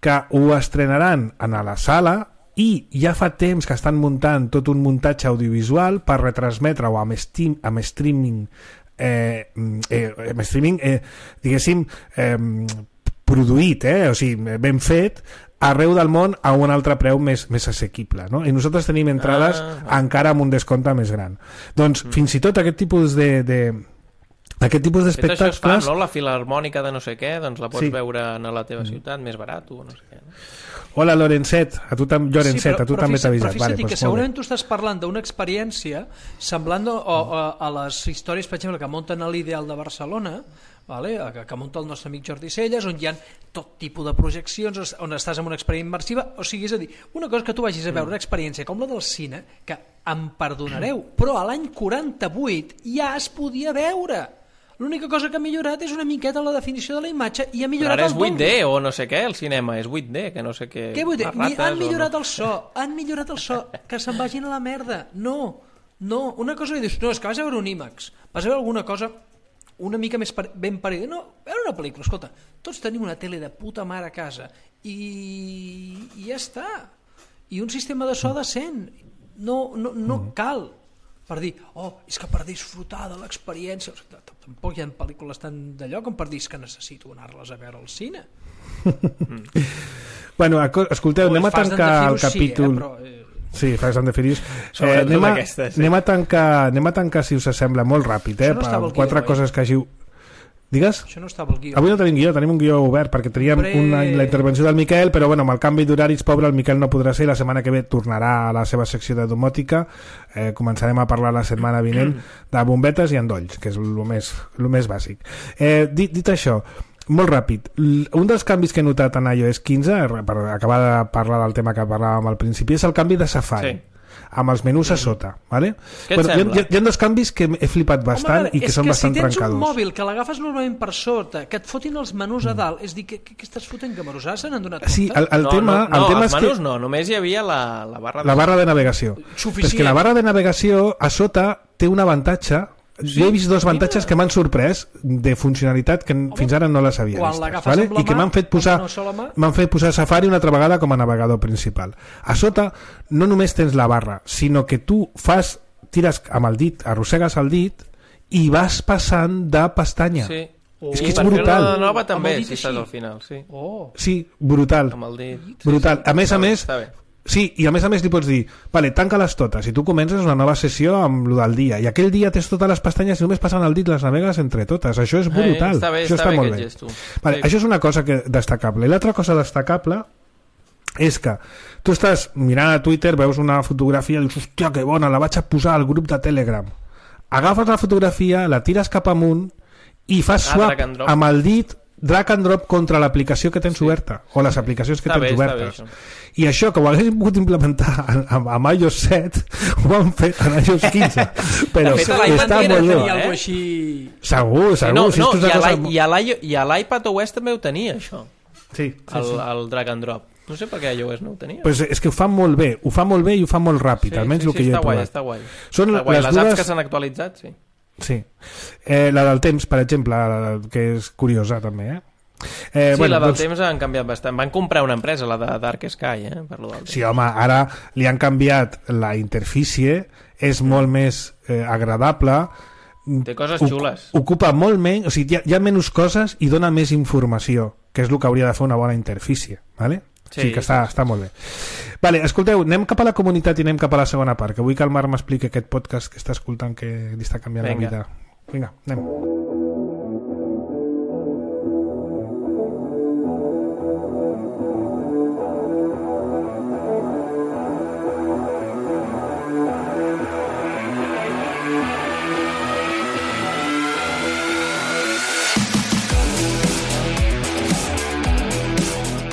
que ho estrenaran a la sala i ja fa temps que estan muntant tot un muntatge audiovisual per retransmetre-ho amb streaming diguéssim produït, o sigui, ben fet arreu del món a un altre preu més assequible, no? I nosaltres tenim entrades encara amb un descompte més gran. Doncs fins i tot aquest tipus d'espectacles... Això es fa, no? La Filharmònica de no sé què, doncs la pots veure a la teva ciutat, més barat o no sé què, no? Hola, Llorencet, a tu també t'ha avisat. Però fixa't que segurament tu estàs parlant d'una experiència semblant a les històries, per exemple, que munten a l'Ideal de Barcelona, vale? Que munta el nostre amic Jordi Celles, on hi ha tot tipus de projeccions, on estàs en una experiència immersiva, o sigui, és a dir, una cosa que tu vagis a veure una experiència com la del cine, que em perdonareu, però a l'any 48 ja es podia veure. L'única cosa que ha millorat és una miqueta la definició de la imatge i ha millorat el doble. Però ara és 8D o no sé què, el cinema és 8D, que no sé què... Què 8D? Han millorat el so, que se'n vagin a la merda. No, una cosa que dius, no, és que vas a veure un IMAX, vas a veure alguna cosa una mica més ben parida. No, veure una pel·lícula, escolta, tots tenim una tele de puta mare a casa i ja està. I un sistema de so decent. No cal per dir, és que per disfrutar de l'experiència, tampoc hi ha pel·lícules tan d'allò com per dir que necessito anar-les a veure al cine. Bueno, escolteu, anem a tancar el capítol... Sí, Fast and the Furious. Anem a tancar, si us sembla, molt ràpid, per 4 coses que hàgiu... Digues? Això no estava el guió. Avui no tenim guió, tenim un guió obert perquè teníem la intervenció del Miquel, però bueno, amb el canvi d'horaris, pobre, el Miquel no podrà ser, la setmana que ve tornarà a la seva secció de domòtica. Començarem a parlar la setmana vinent de bombetes i endolls, que és el més bàsic. Dit això, molt ràpid, un dels canvis que he notat en iOS 15, per acabar de parlar del tema que parlàvem al principi, és el canvi de Safari. Sí. amb els menús a sota, ¿vale? Què et sembla? Hi ha dos canvis que he flipat bastant i que són bastant trencadors. És que si tens un mòbil que l'agafes normalment per sota, que et fotin els menús a dalt, és dir, què estàs fotent, que Marusà se n'han donat compte? Sí, el tema els és menús que... no, només hi havia la barra de navegació. Suficient. És que la barra de navegació a sota té un avantatge. Jo he vist dos avantatges que m'han sorprès de funcionalitat que fins ara no les havia vist, ¿vale? I que m'han fet posar Safari una altra vegada com a navegador principal. A sota no només tens la barra, sinó que tu tires amb el dit, arrossegues el dit i vas passant de pestanya. Sí. És que és brutal. Per fer una nova també, si estàs al final. Sí, sí, brutal. Amb el dit. Brutal. A més, sí, i a més li pots dir, vale, tanca-les totes, i tu comences una nova sessió amb lo del dia, i aquell dia tens totes les pestanyes i només passant el dit les navegues entre totes. Això és brutal. Això està molt bé. Vale, això és una cosa destacable. I l'altra cosa destacable és que tu estàs mirant a Twitter, veus una fotografia i dius, hòstia, que bona, la vaig a posar al grup de Telegram. Agafes la fotografia, la tires cap amunt i fas swap amb el dit, drag and drop contra l'aplicació que tens oberta o les aplicacions que tens obertes. I això, que ho haguéssim pogut implementar amb iOS 7, ho han fet en iOS 15, però està molt bé. Segur. I a l'iPad OS també ho tenia, això. Sí. El drag and drop. No sé per què iOS no ho tenia. Pues és que ho fan molt bé, i ho fan molt ràpid, almenys el que jo he provat. Està guai. Les apps que s'han actualitzat, sí. Sí. La del temps, per exemple, que és curiosa també, la del temps han canviat bastant. Van comprar una empresa, la de Dark Sky, per lo del temps. Sí, home, ara li han canviat la interfície, és molt més agradable, té coses xules, ocupa molt menys, o sigui, hi ha menys coses i dona més informació, que és el que hauria de fer una bona interfície, ¿vale? Sí, que està molt bé. Vale, escolteu, anem cap a la comunitat i anem cap a la segona part, que vull que el Marc m'expliqui aquest podcast que està escoltant, que li està canviant la vida. Vinga, anem.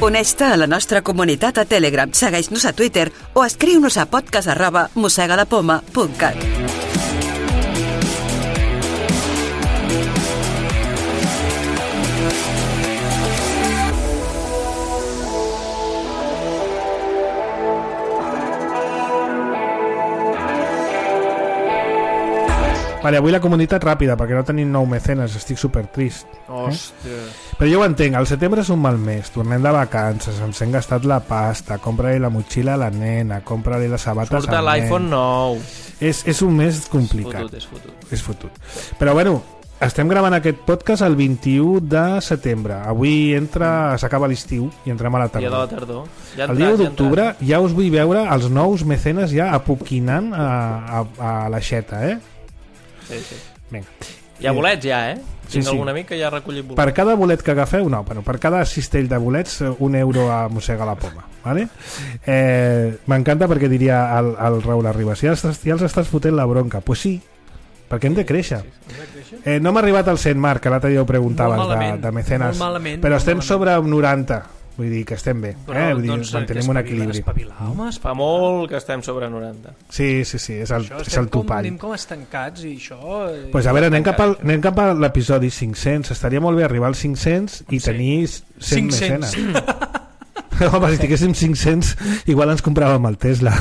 Uneix-te a la nostra comunitat a Telegram, segueix-nos a Twitter o escriu-nos a podcast@mossegadapoma.cat. Vale, avui la comunitat ràpida, perquè no tenim nou mecenes, estic supertrist. Hòstia. Però jo ho entenc, el setembre és un mal mes, tornem de vacances, ens hem gastat la pasta, compra-li la motxilla a la nena, compra-li les sabates al nen. Surt l'iPhone nou. És un mes complicat. És fotut. Però bueno, estem gravant aquest podcast el 21 de setembre. Avui s'acaba l'estiu i entrem a la tardor. Dia de la tardor. El dia d'octubre ja us vull veure els nous mecenes ja apoquinant a l'aixeta, Sí. Vinga. Hi ha bolets ja, Tinc algun amic que ja ha recollit bolets. Per cada bolet que agafeu, per cada cistell de bolets, €1 a Mossega la Poma, ¿vale? M'encanta perquè diria el Raül Arribas, ja els estàs fotent la bronca. Pues sí, perquè hem de créixer. No m'ha arribat al 100, Marc, que l'altre dia ho preguntaves de mecenes, però estem sobre 90. Vull dir que estem bé, vull dir, mantenim un equilibri. Fa molt que estem sobre 90. Sí, és el topall. Estem com estancats i això... Pues a veure, anem cap a l'episodi 500. Estaria molt bé arribar als 500 i tenir 100 mecenes. Home, si tinguéssim 500 igual ens compràvem el Tesla.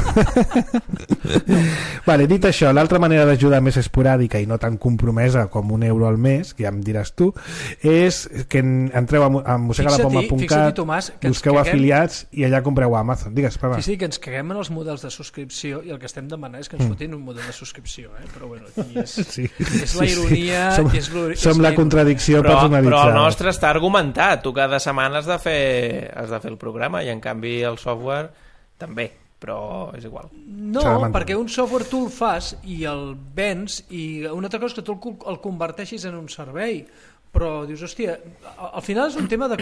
Vale, dit això, l'altra manera d'ajudar més esporàdica i no tan compromesa com €1 al mes, que ja em diràs tu, és que entreu a mossegadapoma.cat, busqueu afiliats i allà compreu a Amazon. Digues, Pava. Sí, que ens caguem en els models de subscripció i el que estem demanant és que ens fotin un model de subscripció, però bueno, aquí és la ironia... Som la contradicció personalitzada. Però el nostre està argumentat. Tu cada setmana has de fer el programa i en canvi el software també, però és igual. No, perquè un software tu el fas i el vens i una altra cosa és que tu el converteixis en un servei, però dius, hòstia, al final és un tema de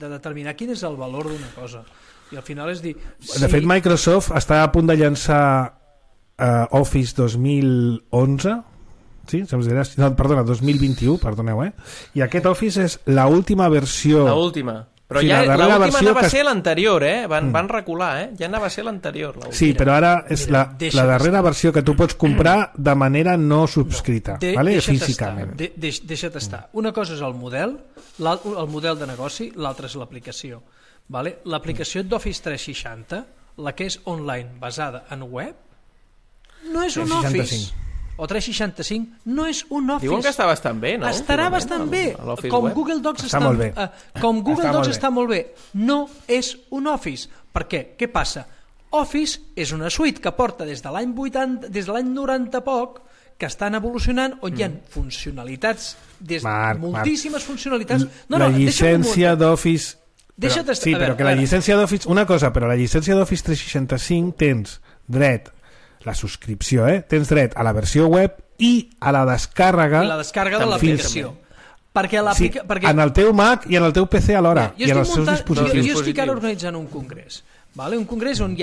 determinar quin és el valor d'una cosa i al final és dir... De fet, Microsoft està a punt de llançar Office 2011, sí? No, perdona, 2021, perdoneu, i aquest Office és l'última versió... L'última. Però ja l'última anava a ser l'anterior, van recular, ja anava a ser l'anterior. Sí, però ara és la darrera versió que tu pots comprar de manera no subscrita, físicament. Deixa't estar. Una cosa és el model de negoci, l'altra és l'aplicació. L'aplicació d'Office 360, la que és online basada en web, no és un Office. O 365 no és un Office. Diuen que està bastant bé, no? Estarà bastant bé. Com Google Docs està molt bé. Com Google Docs està molt bé. No és un Office. Per què? Què passa? Office és una suite que porta des de l'any 80, des de l'any 90 poc, que estan evolucionant, on hi ha funcionalitats, moltíssimes funcionalitats. La llicència d'Office... Sí, però que la llicència d'Office... Una cosa, però la llicència d'Office 365 tens dret la subscripció, tens dret a la versió web i a la descàrrega de l'aplicació. Perquè en el teu Mac i en el teu PC alhora, i en els seus dispositius. Jo estic ara organitzant un congrés, un congrés on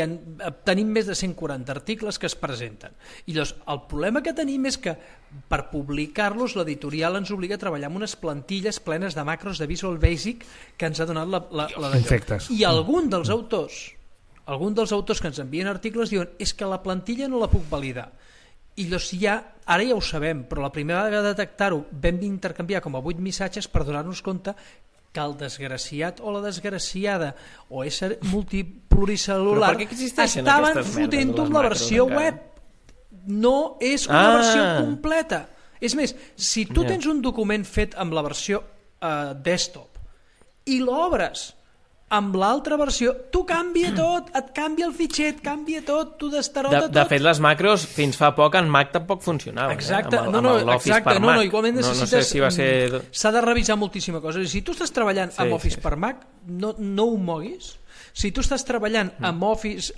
tenim més de 140 articles que es presenten. I llavors, el problema que tenim és que per publicar-los l'editorial ens obliga a treballar amb unes plantilles plenes de macros de Visual Basic que ens ha donat la I algun dels autors que ens envien articles diuen és que la plantilla no la puc validar. I llavors ara ja ho sabem, però la primera vegada de detectar-ho vam intercanviar com a 8 missatges per donar-nos compte que el desgraciat o la desgraciada o ésser multipluricel·lular estaven fotent-ho amb la versió web. No és una versió completa. És més, si tu tens un document fet amb la versió desktop i l'obres amb l'altra versió, tu canvia tot, et canvia el fitxer, et canvia tot, tu destarota tot. De fet, les macros fins fa poc en Mac tampoc funcionaven. Exacte, amb l'Office per Mac. Igualment necessites... No sé si va ser... S'ha de revisar moltíssima cosa. Si tu estàs treballant amb Office per Mac, no ho moguis. Si tu estàs treballant amb Office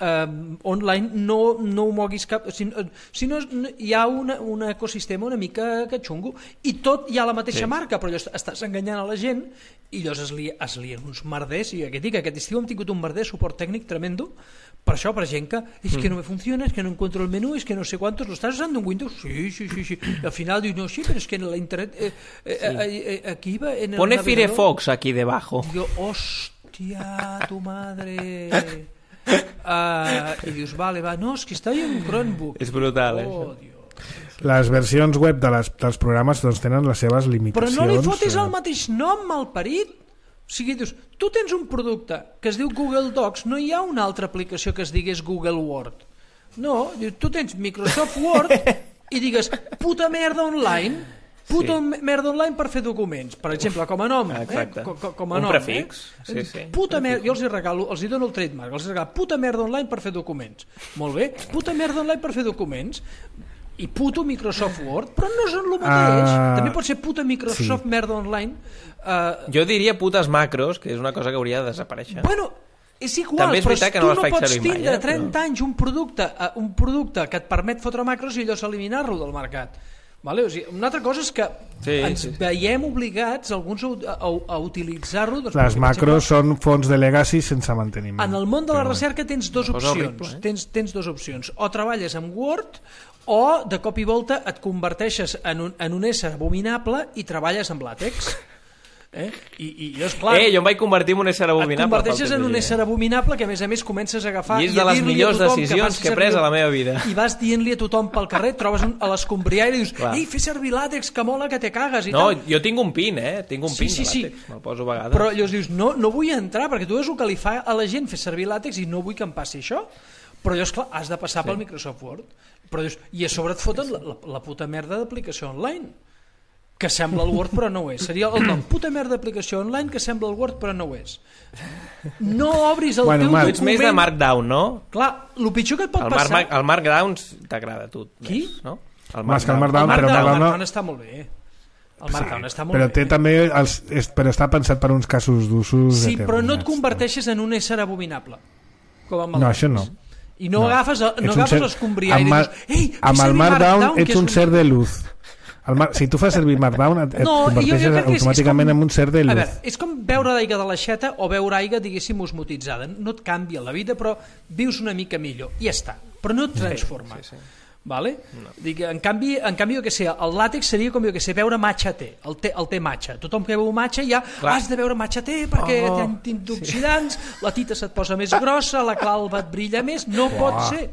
online, no ho moguis cap... Si no, hi ha un ecosistema una mica que xungo. I tot hi ha la mateixa marca, però estàs enganyant a la gent i llavors es lien uns merders. I aquest estiu hem tingut un merder, suport tècnic tremendo, per això, per gent que és que no me funciona, és que no encuentro el menú, és que no sé quantos, ¿lo estás usando en Windows? Sí. Y al final digo, no, sí, pero es que en la internet aquí va en el Pone navegador. Firefox aquí debajo. Digo, hostia, tu madre. Y dius, vale, va, no, es que està en un Chromebook. És brutal, Dios. Les versions web dels programes doncs, tenen les seves limitacions. Però no li fotis el mateix nom, malparit. O sigui, dius, tu tens un producte que es diu Google Docs, no hi ha una altra aplicació que es digués Google Word. No, tu tens Microsoft Word i digues puta merda online, merda online per fer documents, per exemple, com a nom. Com a nom, prefix. Puta merda, jo els hi dono el trademark, els regalo puta merda online per fer documents. Molt bé, puta merda online per fer documents. I puto Microsoft Word, però no són el mateix. També pot ser puta Microsoft merda online. Jo diria putes macros, que és una cosa que hauria de desaparèixer. Bueno, és igual, però tu no pots tindre 30 anys un producte que et permet fotre macros i llavors eliminar-lo del mercat. Vale? O sigui, una altra cosa és que ens veiem obligats alguns a utilitzar-lo. Les macros són fonts de legacy sense manteniment. En el món de la recerca tens dues opcions. Tens dues opcions. O treballes amb Word o de cop i volta et converteixes en un ésser abominable i treballes amb làtex. I és clar, jo em vaig convertir en un ésser abominable. Et converteixes en un ésser abominable que a més comences a agafar i és de les millors decisions que he pres a la meva vida. I vas dient-li a tothom pel carrer, trobes a l'escombriaire i dius, ei, fes servir làtex, que mola que te cagues i tal. Jo tinc un pin, tinc un pin de làtex, me'l poso a vegades. Però llavors dius, no vull entrar perquè tu veus el que li fa a la gent fer servir làtex i no vull que em passi això. Però llavors, clar, has de passar pel Microsoft Word. Però dius, i a sobre et foten la puta merda d'aplicació online que sembla el Word però no ho és. Seria el nom, puta merda d'aplicació online que sembla el Word però no ho és. No obris el teu document. Tu ets més de Markdown, no? Clar, el pitjor que et pot passar... El Markdown t'agrada a tu. Qui? No? El Markdown està molt bé. El Markdown està molt bé. Però té també però està pensat per uns casos d'usos. Sí, però no et converteixes en un ésser abominable. No, això no. I no agafes l'escombriaire i dius, ei, amb el Markdown ets un ser de luz. Si tu fas servir Markdown et converteixes automàticament en un ser de luz. A veure, és com beure aigua de l'aixeta o beure aigua, diguéssim, osmotitzada. No et canvia la vida, però vius una mica millor. I ja està. Però no et transforma. Vale? No. Dic, en canvi, jo que sé, el làtex seria com jo que sé, beure matxa té, el té matxa. Tothom que beu matxa ja has de beure matxa té perquè té antioxidants, la tita se't posa més grossa, la calva et brilla més, no pot ser.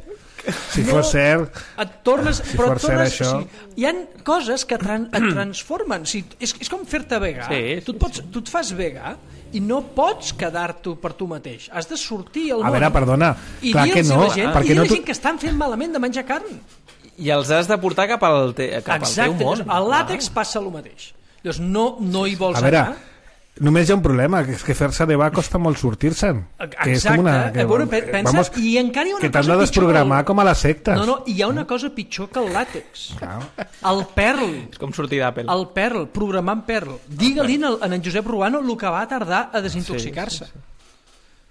Si fos cert, et tornes, però et tornes, això... hi ha coses que et transformen. És com fer-te vegà. Tu et fas vegà i no pots quedar-t'ho per tu mateix. Has de sortir al món. A veure, perdona, clar que no. I dir a la gent que estan fent malament de menjar carn. I els has de portar cap al teu món. Exacte, al làtex passa el mateix. Llavors no hi vols anar. A veure, només hi ha un problema, que és que fer-se de va costa molt sortir-se'n. Exacte, pensa, i encara hi ha una cosa pitjor. Que t'has de desprogramar com a les sectes. No, hi ha una cosa pitjor que el làtex. El Perl. És com sortir d'Apple. El Perl, programant Perl. Digue-li en Josep Ruano el que va tardar a desintoxicar-se.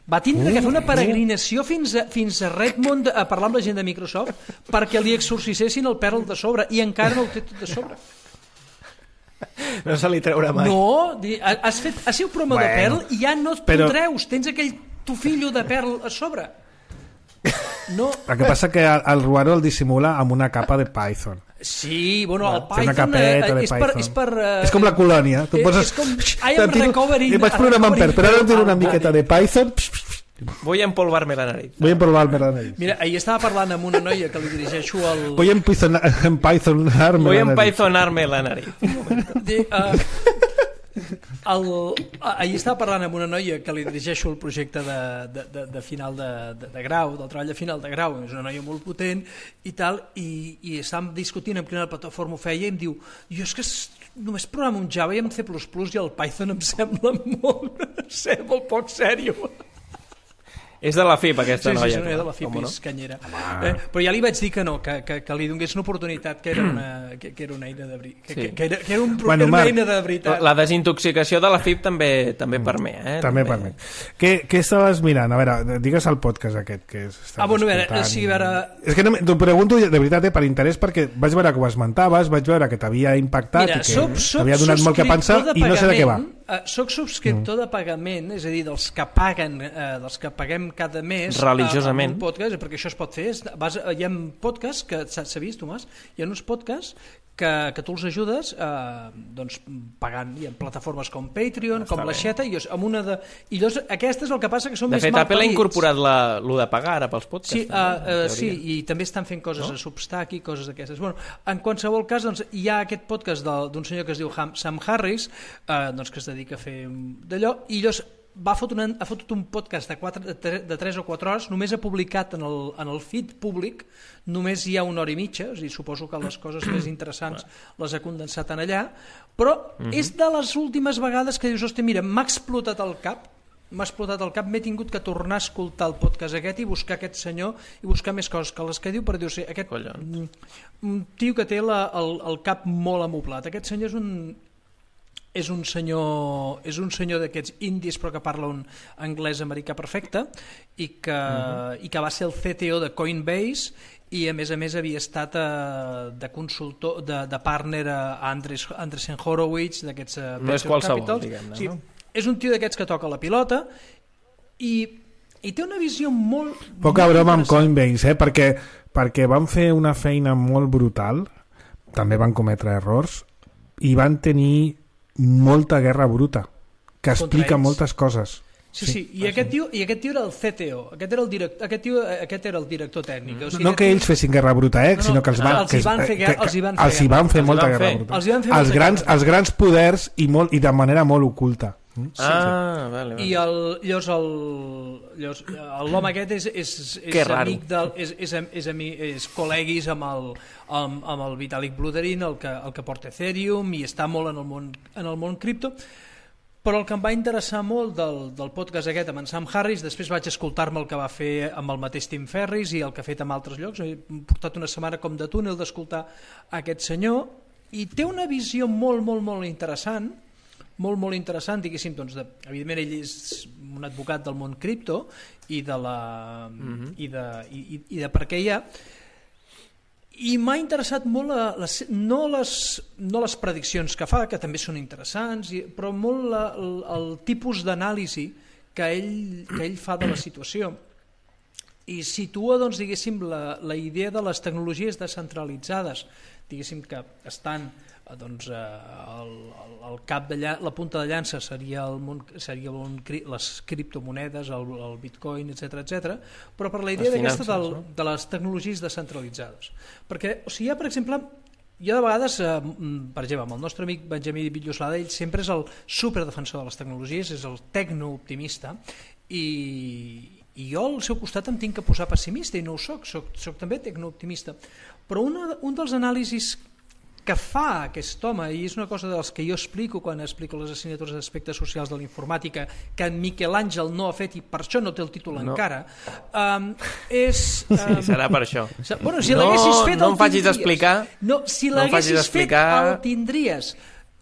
Va tindre que fer una peregrinació fins a Redmond a parlar amb la gent de Microsoft perquè li exorcissessin el Perl de sobre, i encara no el té tot de sobre. No se li treurà mai. No, has sigut promo de Perl i ja no et treus, tens aquell tufillo de Perl a sobre. No. El que passa que el Ruano el dissimula amb una capa de Python. Sí, bueno, el Python és per... És com la colònia. Tu poses... És com I am recovering... I vaig programar en Perl, però ara tinc una miqueta de Python... Voy a empolvarme la nariz. Mira, ahir estava parlant amb una noia que li dirigeixo el... Voy a empythonarme la nariz. Ahir estava parlant amb una noia que li dirigeixo el projecte de final de grau, del treball de final de grau, és una noia molt potent i tal, i estàvem discutint amb quina plataforma ho feia i em diu, jo és que només programo un Java i en C++ i el Python em sembla molt poc sèrio. És de la FIP, aquesta noia. Sí, és de la FIP, és canyera. Però ja li vaig dir que no, que li donés una oportunitat, que era una eina de veritat. Que era una eina de veritat. La desintoxicació de la FIP també permet. També permet. Què estaves mirant? A veure, digues el podcast aquest que estaves escoltant. És que t'ho pregunto de veritat per interès, perquè vaig veure que ho esmentaves, vaig veure que t'havia impactat i que t'havia donat molt que pensar i no sé de què va. Soc subscriptor de pagament, és a dir, dels que paguem cada mes religiosament un podcast, perquè això es pot fer. Hi ha podcasts que s'ha vist, Tomàs, hi ha uns podcasts que tu els ajudes doncs, pagant. Hi ha plataformes com Patreon, com l'Aixeta, i llavors aquestes el que passa que són més malparits. De fet, Apple ha incorporat lo de pagar ara pels podcasts. Sí, i també estan fent coses a Substack i coses d'aquestes. Bueno, en qualsevol cas, doncs, hi ha aquest podcast d'un senyor que es diu Sam Harris, doncs, que es dedica a fer d'allò, i llavors ha fotut un podcast de 3 o 4 hores, només ha publicat en el feed públic, només hi ha 1 hora i mitja, és a dir, suposo que les coses més interessants les ha condensat en allà, però és de les últimes vegades que dius, hòstia, mira, m'ha explotat el cap, m'he tingut que tornar a escoltar el podcast aquest i buscar aquest senyor i buscar més coses que les que diu, per dir, o sigui, aquest tio que té el cap molt amoblat. Aquest senyor és un senyor d'aquests indis però que parla un anglès americà perfecte i que va ser el CTO de Coinbase i a més havia estat de consultor, de partner a Andreessen Horowitz d'aquests no és qualsevol, diguem-ne, sí, és un tio d'aquests que toca la pilota i té una visió molt... Poca broma amb Coinbase, perquè van fer una feina molt brutal, també van cometre errors i van tenir molta guerra bruta que explica moltes coses. Sí, i aquest tio era el CTO, aquest era el director tècnic. O sigui, no que ells fessin guerra bruta, sinó que els hi van fer molta guerra bruta. Els grans poders i de manera molt oculta. Vale. I llavors l'home aquest és col·leguis amb el Vitalik Buterin, el que porta Ethereum, i està molt en el món cripto. Però el que em va interessar molt del podcast aquest amb en Sam Harris, després vaig escoltar-me el que va fer amb el mateix Tim Ferriss i el que ha fet amb altres llocs. He portat una setmana com de túnel d'escoltar aquest senyor i té una visió molt, molt, molt interessant, diguéssim, doncs, evidentment ell és un advocat del món cripto i de per què hi ha, i m'ha interessat molt no les prediccions que fa, que també són interessants, però molt el tipus d'anàlisi que ell fa de la situació. i situa, doncs, diguéssim, la idea de les tecnologies descentralitzades, diguéssim, que estan doncs, el cap de la punta de llança seria les criptomonedes, el bitcoin, etc, però per la idea d'aquesta de les tecnologies descentralitzades. Perquè, o sigui, per exemple, jo de vegades, per exemple, amb el nostre amic Benjamí Villoslada, ell sempre és el superdefensor de les tecnologies, és el tecnooptimista, i jo al seu costat em tinc que posar pessimista, i no ho soc també tecnooptimista. Però un dels anàlisis que fa aquest home, i és una cosa dels que jo explico quan explico les assignatures d'aspectes socials de la informàtica, que en Miquel Àngel no ha fet i per això no té el títol encara, és... Sí, serà per això. Bueno, si l'haguessis fet no em facis explicar. No, si l'haguessis fet el tindries.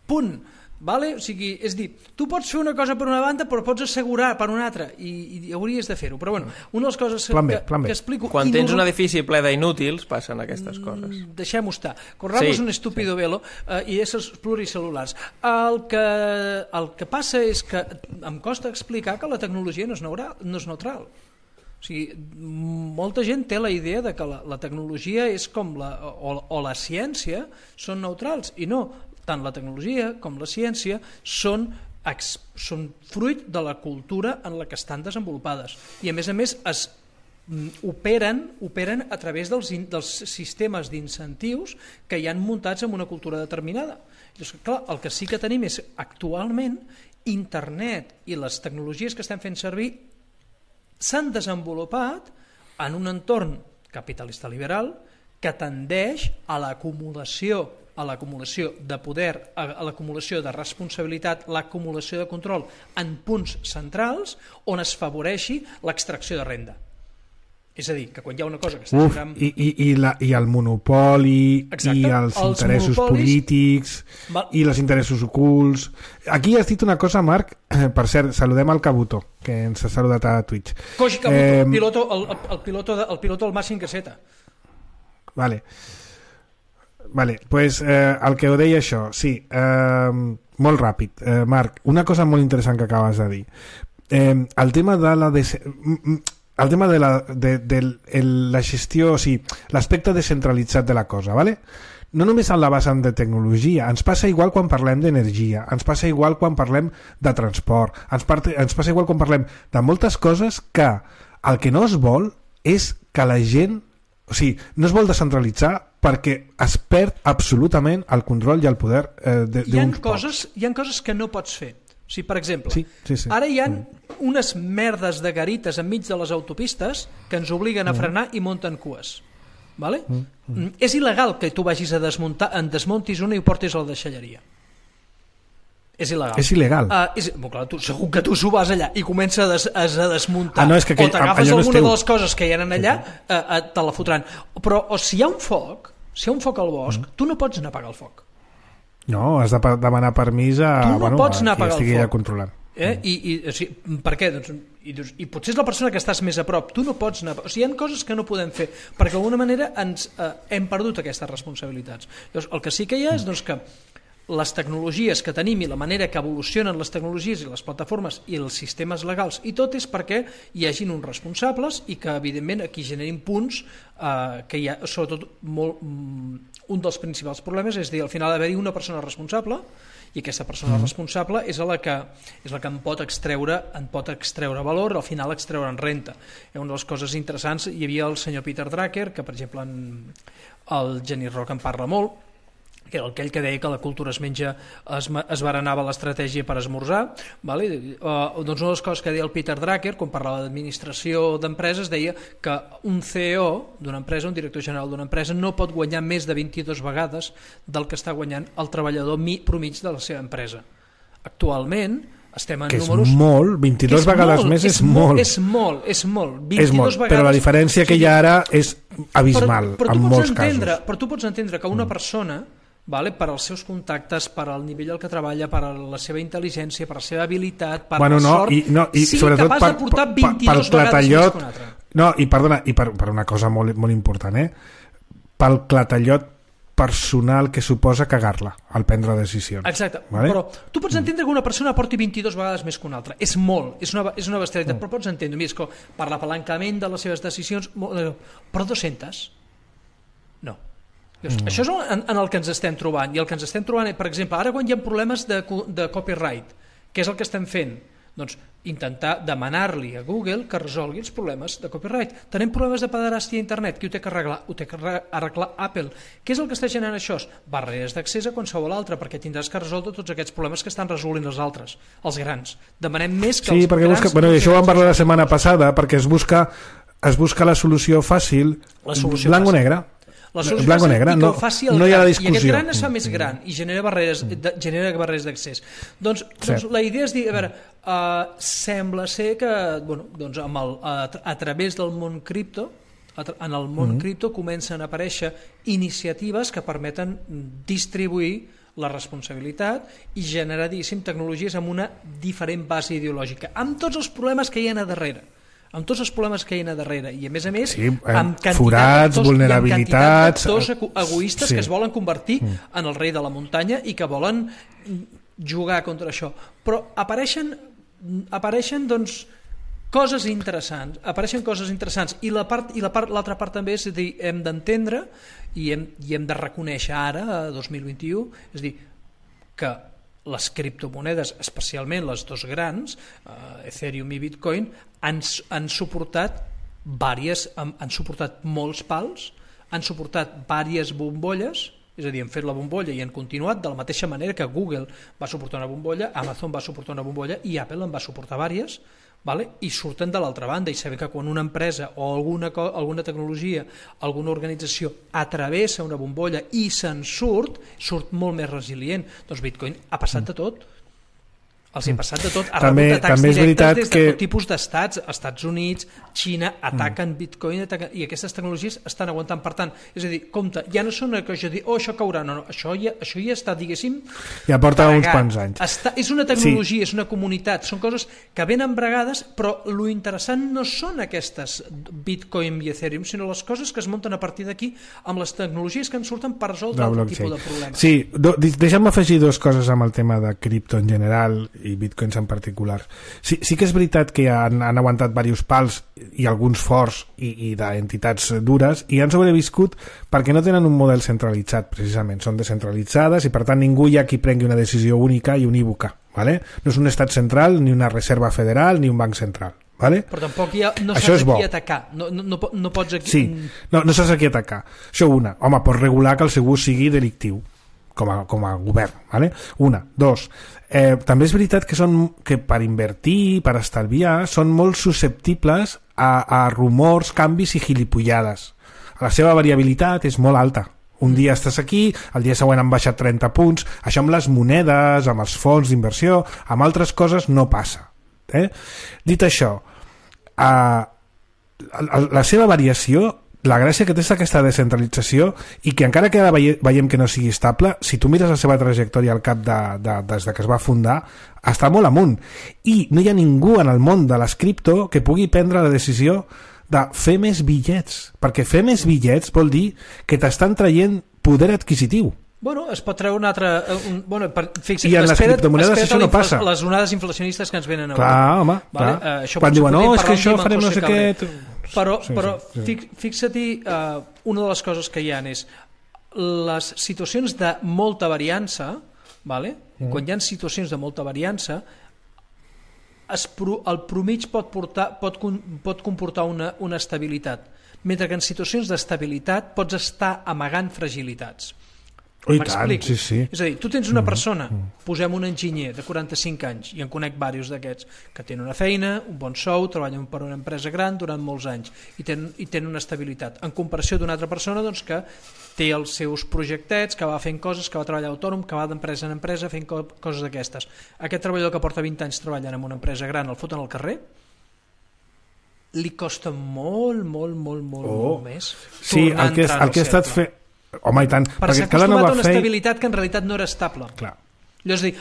Punt. Vale? O sigui, és dir, tu pots fer una cosa per una banda però pots assegurar per una altra i hauries de fer-ho, però bueno, una de les coses que explico... Quan tens un edifici ple d'inútils passen aquestes coses. Deixem-ho estar, corramos un estúpido velo i éssers pluricel·lulars. El que passa és que em costa explicar que la tecnologia no és neutral. O sigui, molta gent té la idea de que la tecnologia és com o la ciència són neutrals, i no. Tant la tecnologia com la ciència són fruit de la cultura en la que estan desenvolupades, i a més operen a través dels sistemes d'incentius que hi han muntats en una cultura determinada. Llavors, clar, el que sí que tenim és actualment internet i les tecnologies que estem fent servir s'han desenvolupat en un entorn capitalista liberal que tendeix a l'acumulació de poder, a l'acumulació de responsabilitat, l'acumulació de control en punts centrals on es favoreixi l'extracció de renda. És a dir, que quan hi ha una cosa que està... I el monopoli, exacte, i els interessos polítics, i els interessos ocults... Aquí has dit una cosa, Marc, per cert, saludem al Cabuto, que ens ha saludat a Twitch. Koji Cabuto, el piloto del Màxim Caseta. Vale, pues el que ho deia això, sí, molt ràpid, Marc, una cosa molt interessant que acabes de dir, el tema de la gestió, o sigui, l'aspecte descentralitzat de la cosa, vale? No només en la vessant de tecnologia, ens passa igual quan parlem d'energia, ens passa igual quan parlem de transport, ens passa igual quan parlem de moltes coses que el que no es vol és que la gent, o sigui, no es vol descentralitzar perquè es perd absolutament el control i el poder d'uns pocs. Hi ha coses que no pots fer. O sigui, per exemple, ara hi ha unes merdes de garites enmig de les autopistes que ens obliguen a frenar i munten cues. Vale? És il·legal que tu vagis a desmuntis una i ho portis a la deixalleria. És il·legal. És il·legal. Clar, segur que tu s'ho vas allà i comences a desmuntar, no, és que o t'agafes alguna de les coses que hi ha allà, te la fotran. Però si hi ha un foc al bosc, tu no pots anar a apagar el foc. No, has de demanar permís a pots anar a apagar qui estigui controlant. Per què? I potser és la persona que estàs més a prop, tu no pots anar... O sigui, hi ha coses que no podem fer perquè d'alguna manera hem perdut aquestes responsabilitats. Llavors, el que sí que hi ha és que les tecnologies que tenim i la manera que evolucionen les tecnologies i les plataformes i els sistemes legals i tot és perquè hi hagin uns responsables i que evidentment aquí generin punts que hi ha, sobretot un dels principals problemes és dir, al final haver-hi una persona responsable i aquesta persona responsable és la que en pot extreure valor, al final extreure'n renta. Una de les coses interessants, hi havia el senyor Peter Drucker, que per exemple el Genís Roca en parla molt, que era aquell que deia que la cultura es berenava l'estratègia per esmorzar, vale? Doncs una de les coses que deia el Peter Drucker quan parlava d'administració d'empreses deia que un CEO d'una empresa, un director general d'una empresa no pot guanyar més de 22 vegades del que està guanyant el treballador promig de la seva empresa. Actualment estem en números... És molt, 22 vegades més és molt. És molt. 22 vegades... Però la diferència que hi ha ara és abismal, en molts casos. Però tu pots entendre que una persona, per als seus contactes, per al nivell al que treballa, per a la seva intel·ligència, per la seva habilitat, per la sort, sigui capaç de portar 22 vegades més que un altre. No, i perdona, i per una cosa molt, molt important, pel clatallot personal que suposa cagar-la al prendre decisions. Exacte, vale? Però tu pots entendre que una persona porti 22 vegades més que una altra. És molt, és una bestialitat, però pots entendre, mira, és que per l'apalancament de les seves decisions, però 200? No. Això és en el que ens estem trobant, i el que ens estem trobant, per exemple, ara quan hi ha problemes de copyright, què és el que estem fent? Doncs intentar demanar-li a Google que resolgui els problemes de copyright. Tenim problemes de pederàstia a internet, qui ho té que arreglar? Ho té que arreglar Apple. Què és el que està generant això? Barreres d'accés a qualsevol altre, perquè tindràs que resoldre tots aquests problemes que estan resolint els altres, els grans. Demanem més que els grans... Sí, perquè això ho vam parlar la setmana passada, perquè es busca la solució fàcil, blanc o negre. La solució blanc o negre, no hi ha la discussió. I aquest gran es fa més gran i genera barreres d'accés. Doncs la idea és dir, a veure, sembla ser que a través del món cripto, en el món cripto comencen a aparèixer iniciatives que permeten distribuir la responsabilitat i generar, diguéssim, tecnologies amb una diferent base ideològica, amb tots els problemes que hi ha a darrere. Amb tots els problemes que hi ha a darrere i a més amb forats, vulnerabilitats, d'actors egoistes que es volen convertir en el rei de la muntanya i que volen jugar contra això, però apareixen doncs coses interessants i l'altra part també és a dir, hem d'entendre i hem de reconèixer ara a 2021, és a dir, que les criptomonedes, especialment les dos grans, Ethereum i Bitcoin, han suportat molts pals, han suportat diverses bombolles, és a dir, han fet la bombolla i han continuat de la mateixa manera que Google va suportar una bombolla, Amazon va suportar una bombolla i Apple en va suportar diverses, i surten de l'altra banda i sabem que quan una empresa o alguna tecnologia, alguna organització atravessa una bombolla i se'n surt molt més resilient. Doncs Bitcoin ha passat de tot. Els ha passat de tot, ha rebut atacs directes des de tot tipus d'estats, Estats Units, Xina, ataquen Bitcoin i aquestes tecnologies estan aguantant. Per tant, és a dir, compte, ja no són que això dir, això caurà, no, això ja està, diguéssim, ja porta uns quants anys. És una tecnologia, és una comunitat, són coses que venen bregades, però lo interessant no són aquestes Bitcoin i Ethereum, sinó les coses que es munten a partir d'aquí amb les tecnologies que en surten per resoldre algun tipus de problemes. Sí, deixa'm afegir dues coses amb el tema de cripto en general i bitcoins en particular. Sí que és veritat que han aguantat diversos pals i alguns forts i d'entitats dures i han sobreviscut perquè no tenen un model centralitzat, precisament. Són descentralitzades i per tant ningú hi ha qui prengui una decisió única i unívoca. ¿Vale? No és un estat central, ni una reserva federal, ni un banc central. ¿Vale? Però tampoc no saps a qui atacar. No pots aquí... Sí, no saps a qui atacar. Això una. Home, pots regular que el seu ús sigui delictiu com a govern. ¿Vale? Una. Dos. També és veritat que per invertir, per estalviar, són molt susceptibles a rumors, canvis i gilipollades. La seva variabilitat és molt alta. Un dia estàs aquí, el dia següent han baixat 30 punts. Això amb les monedes, amb els fons d'inversió, amb altres coses no passa. Dit això, la seva variació, la gràcia que té és aquesta descentralització i que encara que ara veiem que no sigui estable, si tu mires la seva trajectòria al cap des que es va fundar, està molt amunt. I no hi ha ningú en el món de les cripto que pugui prendre la decisió de fer més bitllets, perquè fer més bitllets vol dir que t'estan traient poder adquisitiu. Bueno, es pot treure un altre... I en les criptomonedes això no passa. Les onades inflacionistes que ens venen a clar, home, clar. Quan diuen, no, és que això farem no sé què... Però fixa-t'hi, una de les coses que hi ha és les situacions de molta variança, quan hi ha situacions de molta variança, el promig pot comportar una estabilitat, mentre que en situacions d'estabilitat pots estar amagant fragilitats. M'explico. Sí. És a dir, tu tens una persona, posem un enginyer de 45 anys, i en conec diversos d'aquests, que tenen una feina, un bon sou, treballen per una empresa gran durant molts anys i tenen una estabilitat, en comparació d'una altra persona doncs, que té els seus projectets, que va fent coses, que va treballar autònom, que va d'empresa en empresa fent coses d'aquestes. Aquest treballador que porta 20 anys treballant en una empresa gran, el foten al carrer, li costa molt més tornar a entrar en el cercle. Home, i tant, perquè s'ha acostumat a una estabilitat que en realitat no era estable. Clar. És a dir,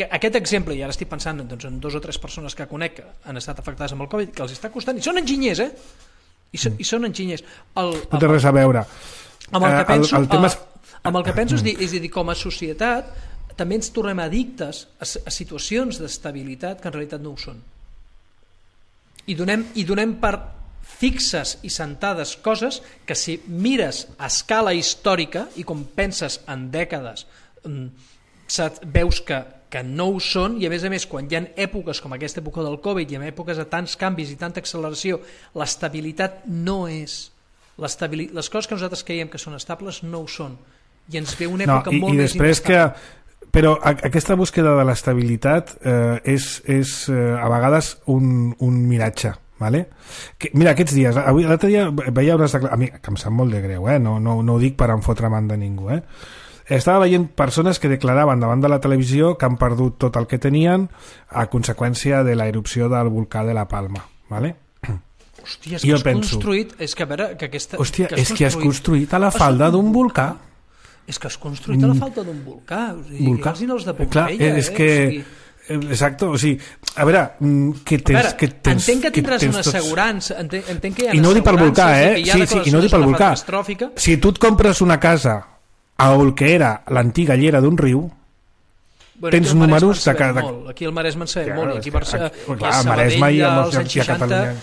aquest exemple, i ara estic pensant en 2 o 3 persones que conec que han estat afectades amb el Covid, que els està costant, i són enginyers, I són enginyers. No té res a veure. Amb el que penso és dir, com a societat també ens tornem addictes a situacions d'estabilitat que en realitat no ho són. I donem per fixes i sentades coses que si mires a escala històrica i com penses en dècades veus que no ho són, i a més quan hi ha èpoques com aquesta època del Covid i en èpoques de tants canvis i tanta acceleració, l'estabilitat no és les coses que nosaltres creiem que són estables no ho són, i ens ve una època molt més inestable. Però aquesta búsqueda de l'estabilitat és a vegades un miratge, ¿vale? Mira, aquests dies, l'altre dia veia unes declaracions, a mi, que em sap molt de greu, no ho dic per enfotre'm de ningú, estava veient persones que declaraven davant de la televisió que han perdut tot el que tenien a conseqüència de la erupció del volcà de la Palma, ¿vale? Hòstia, és que has construït... És que a veure, que aquesta... Hòstia, és que has construït a la falda d'un volcà. És que has construït a la falda d'un volcà. Volcà? Els de Pompeia, és que... Exacte, o sigui, a veure, que tens... Entenc que tindràs una assegurança, entenc que hi ha assegurances... I no ho dic per volcà, Sí, i no ho dic per volcà. Si tu et compres una casa al que era l'antiga llera d'un riu, tens números de cada... Aquí al Maresme en sabem molt, aquí a Maresme i a Catalunya.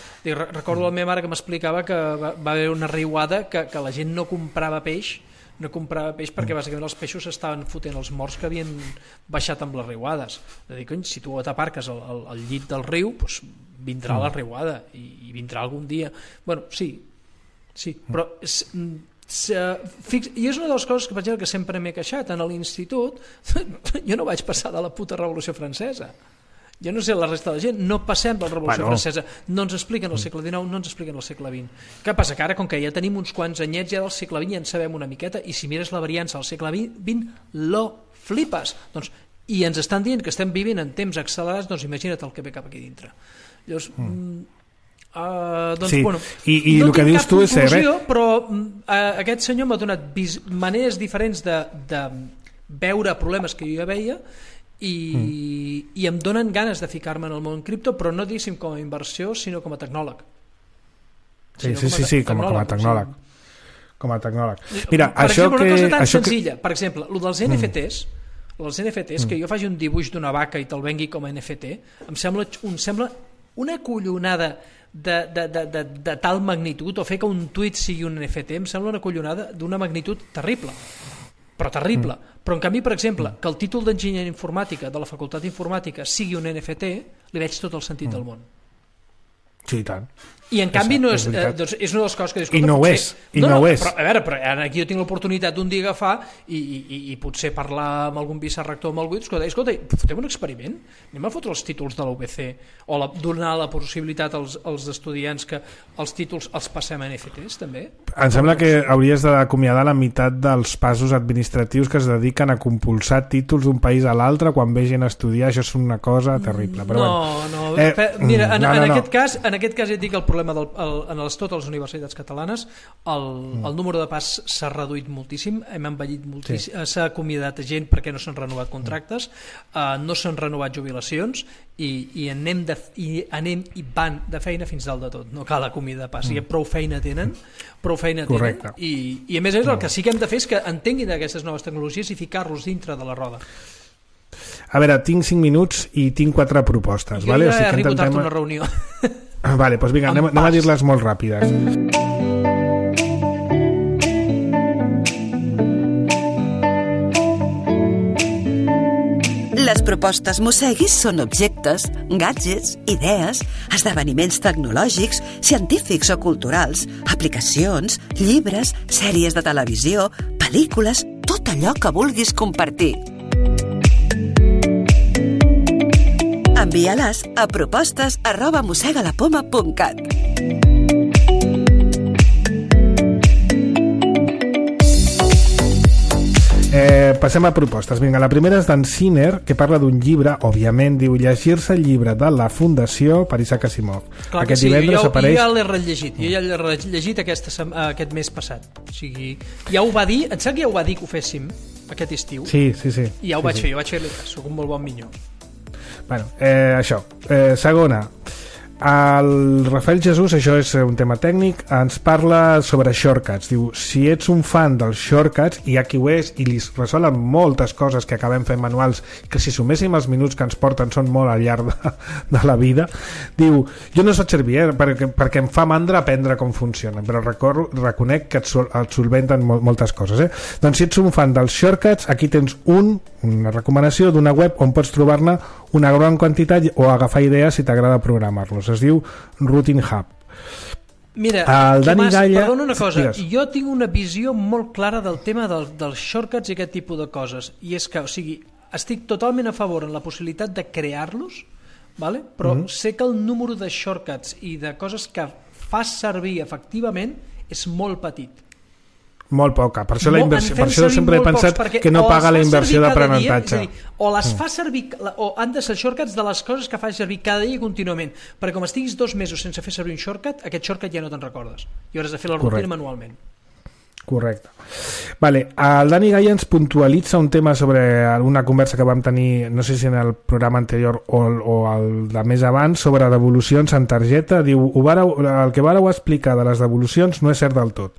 Recordo la meva mare que m'explicava que va haver una riuada que la gent no comprava peix perquè bàsicament els peixos estaven fotent els morts que havien baixat amb les riuades. És a dir, cony, si tu t'aparques al llit del riu, doncs vindrà la riuada i vindrà algun dia. Bueno, sí, però i és una de les coses que, per exemple, que sempre m'he queixat en l'institut. Jo no vaig passar de la puta Revolució Francesa. Jo no sé la resta de la gent, no passem per la Revolució Francesa, no ens expliquen el segle XIX, no ens expliquen el segle XX. Què passa? Que ara, com que ja tenim uns quants anyets ja del segle XX, ja en sabem una miqueta, i si mires la variança del segle XX, lo flipes. I ens estan dient que estem vivint en temps accelerats, doncs imagina't el que ve cap aquí dintre. Llavors... sí, bueno, i el que dius tu és cert, però aquest senyor m'ha donat maneres diferents de veure problemes que jo ja veia i em donen ganes de ficar-me en el món cripto, però no diguéssim com a inversió, sinó com a tecnòleg. Sí, com a tecnòleg. Com a tecnòleg. Mira, per exemple, una cosa tan senzilla, per exemple, el dels NFTs, que jo faci un dibuix d'una vaca i te'l vengui com a NFT, em sembla una collonada de tal magnitud, o fer que un tuit sigui un NFT, em sembla una collonada d'una magnitud terrible, però en canvi, per exemple, que el títol d'enginyeria informàtica de la facultat d'informàtica sigui un NFT, li veig tot el sentit del món. Sí, i tant. I en canvi no és, doncs és una de les coses que dius, i no ho és, no ho és. Però, a veure, però aquí jo tinc l'oportunitat d'un dia agafar i potser parlar amb algun vicerector o amb algú, escolta, fotem un experiment, anem a fotre els títols de la UBC o donar la possibilitat als estudiants que els títols els passem a NFTs també. Em sembla que hauries d'acomiadar la meitat dels passos administratius que es dediquen a compulsar títols d'un país a l'altre quan vegin a estudiar, això és una cosa terrible. Però mira, en aquest cas ja et dic el problema en totes les universitats catalanes, el número de pas s'ha reduït moltíssim, hem envellit moltíssim, s'ha acomiadat gent perquè no s'han renovat contractes, no s'han renovat jubilacions i anem i van de feina fins dalt de tot, no cal acomiadar pas, prou feina tenen i a més el que sí que hem de fer és que entenguin aquestes noves tecnologies i ficar-los dintre de la roda. A veure, tinc 5 minuts i tinc 4 propostes. Jo ja arribo tard a una reunió. Vale, doncs vinga, anem a dir-les molt ràpides. Les propostes Mosseguis són objectes, gadgets, idees, esdeveniments tecnològics, científics o culturals, aplicacions, llibres, sèries de televisió, pel·lícules, tot allò que vulguis compartir. Envia-les a propostes@mossegalapoma.cat. Passem a propostes. Vinga, la primera és d'en Sinner, que parla d'un llibre, òbviament, diu llegir-se el llibre de la Fundació per Isaac Asimov. Clar que sí, jo ja l'he rellegit aquest mes passat. O sigui, ja ho va dir, em sembla que ja ho va dir que ho féssim aquest estiu. Sí. I ja ho vaig fer, jo vaig fer-li cas, soc un molt bon minyó. Bueno, això. Segona, el Rafael Jesús, això és un tema tècnic, ens parla sobre shortcuts. Diu, si ets un fan dels shortcuts, i aquí ho és, i li resolen moltes coses que acabem fent manuals, que si suméssim els minuts que ens porten són molt al llarg de la vida, diu, jo no soc servir, perquè em fa mandra aprendre com funciona, però reconec que et solventen moltes coses. Doncs si ets un fan dels shortcuts, aquí tens una recomanació d'una web on pots trobar-ne una gran quantitat o agafar idees si t'agrada programar-los. Es diu Routine Hub. Mira, perdona una cosa, jo tinc una visió molt clara del tema dels shortcuts i aquest tipus de coses, i és que, o sigui, estic totalment a favor en la possibilitat de crear-los, vale? Però sé que el número de shortcuts i de coses que fas servir efectivament és molt petit. Molt poca, per això sempre he pensat que no paga la inversió d'aprenentatge. O les fa servir, o han de ser shortcuts de les coses que fas servir cada dia i contínuament, perquè com estiguis 2 mesos sense fer servir un shortcut, aquest shortcut ja no te'n recordes i hauràs de fer la rutina manualment. Correcte. Vale, el Dani Gaia ens puntualitza un tema sobre una conversa que vam tenir, no sé si en el programa anterior o el de més abans, sobre devolucions en targeta. Diu, el que vàreu explicar de les devolucions no és cert del tot.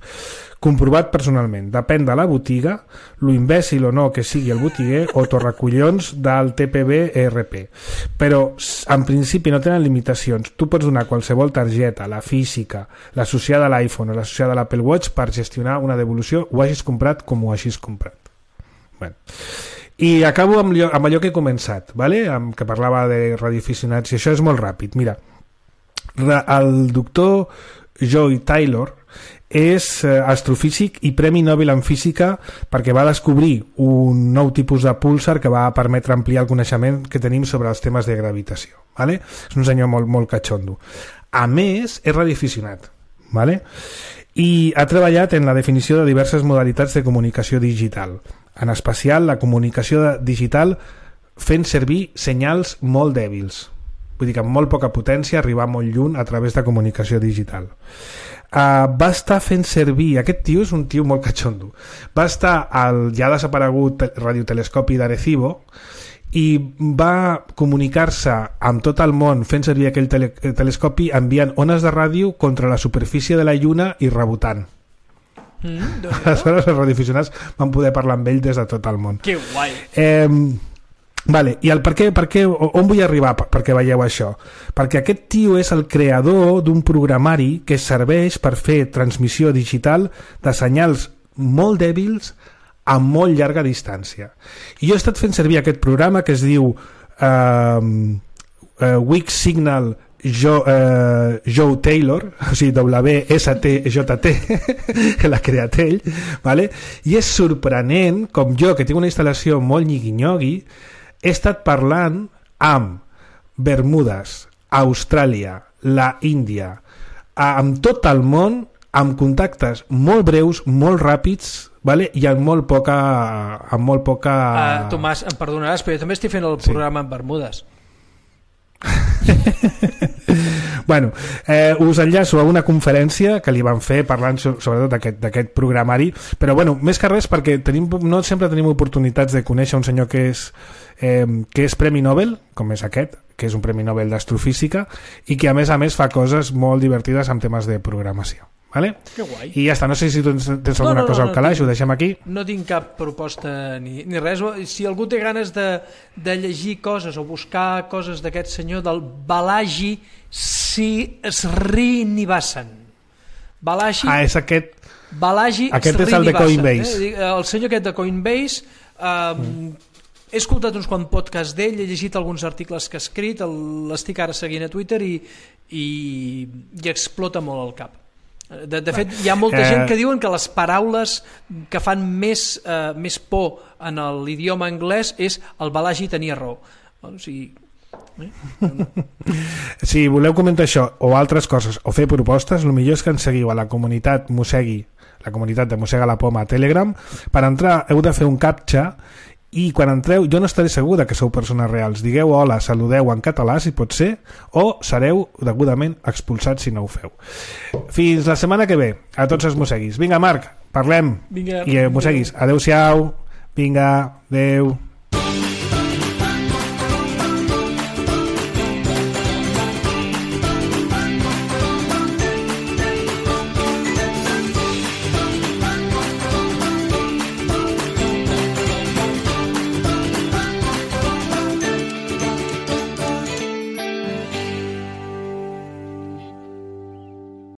Comprovat personalment, depèn de la botiga, lo imbècil o no que sigui el botiguer o torracollons del TPB ERP. Però en principi no tenen limitacions. Tu pots donar qualsevol targeta, la física, l'associada a l'iPhone o l'associada a l'Apple Watch per gestionar una devolució, ho hagis comprat com ho hagis comprat. Bueno. I acabo amb allò que he començat, ¿vale? Que parlava de radioaficionats, i això és molt ràpid. Mira, el doctor Joy Taylor és astrofísic i Premi Nobel en Física perquè va descobrir un nou tipus de púlsar que va permetre ampliar el coneixement que tenim sobre els temes de gravitació, ¿vale? És un senyor molt catxondo. A més, és radioaficionat, ¿vale? I ha treballat en la definició de diverses modalitats de comunicació digital, en especial la comunicació digital fent servir senyals molt dèbils, vull dir que amb molt poca potència arribar molt lluny a través de comunicació digital. Va estar fent servir, aquest tio és un tio molt catxondo, va estar al ja desaparegut radiotelescopi d'Arecibo i va comunicar-se amb tot el món fent servir aquell telescopi enviant ones de ràdio contra la superfície de la Lluna i rebotant. Aleshores els radioaficionats van poder parlar amb ell des de tot el món. Que guai! Vale, i el per què, on vull arribar perquè veieu això? Perquè aquest tio és el creador d'un programari que serveix per fer transmissió digital de senyals molt dèbils a molt llarga distància. I jo he estat fent servir aquest programa que es diu Weak Signal Joe Taylor, o sigui WSTJT, que l'ha creat ell, ¿vale? I és sorprenent com jo, que tinc una instal·lació molt nyigui-nyogui, he estat parlant amb Bermudes, Austràlia, la Índia, amb tot el món, amb contactes molt breus, molt ràpids, ¿vale? I amb molt poca... Tomàs, em perdonaràs, però jo també estic fent el programa en Bermudes. Bueno, us enllaço a una conferència que li van fer parlant sobretot d'aquest programari, però bueno, més que res perquè no sempre tenim oportunitats de conèixer un senyor que és Premi Nobel, com és aquest, que és un Premi Nobel d'Astrofísica i que a més fa coses molt divertides amb temes de programació. Vale? Que guai. I ja està, no sé si tu tens alguna cosa al calaix, ho deixem aquí. No tinc cap proposta ni res. Si algú té ganes de llegir coses o buscar coses d'aquest senyor del Balaji Srinivasan. Balaji... és aquest. Balaji aquest és el de Coinbase. El senyor aquest de Coinbase... He escoltat uns quants podcasts d'ell, he llegit alguns articles que ha escrit, l'estic ara seguint a Twitter i explota molt el cap. De fet, hi ha molta gent que diuen que les paraules que fan més por en l'idioma anglès és el Balaji tenia raó. O sigui... Si voleu comentar això o altres coses o fer propostes, el millor és que ens seguiu a la comunitat Mossegui, la comunitat de Mossega la Poma a Telegram. Per entrar heu de fer un captcha i quan entreu jo no estaré segur que sou persones reals. Digueu hola, saludeu en català si pot ser, o sereu degudament expulsats si no ho feu. Fins la setmana que ve, a tots els mosseguis. Vinga, Marc, parlem. Vinga, i mosseguis, adeu-siau. Vinga, adeu.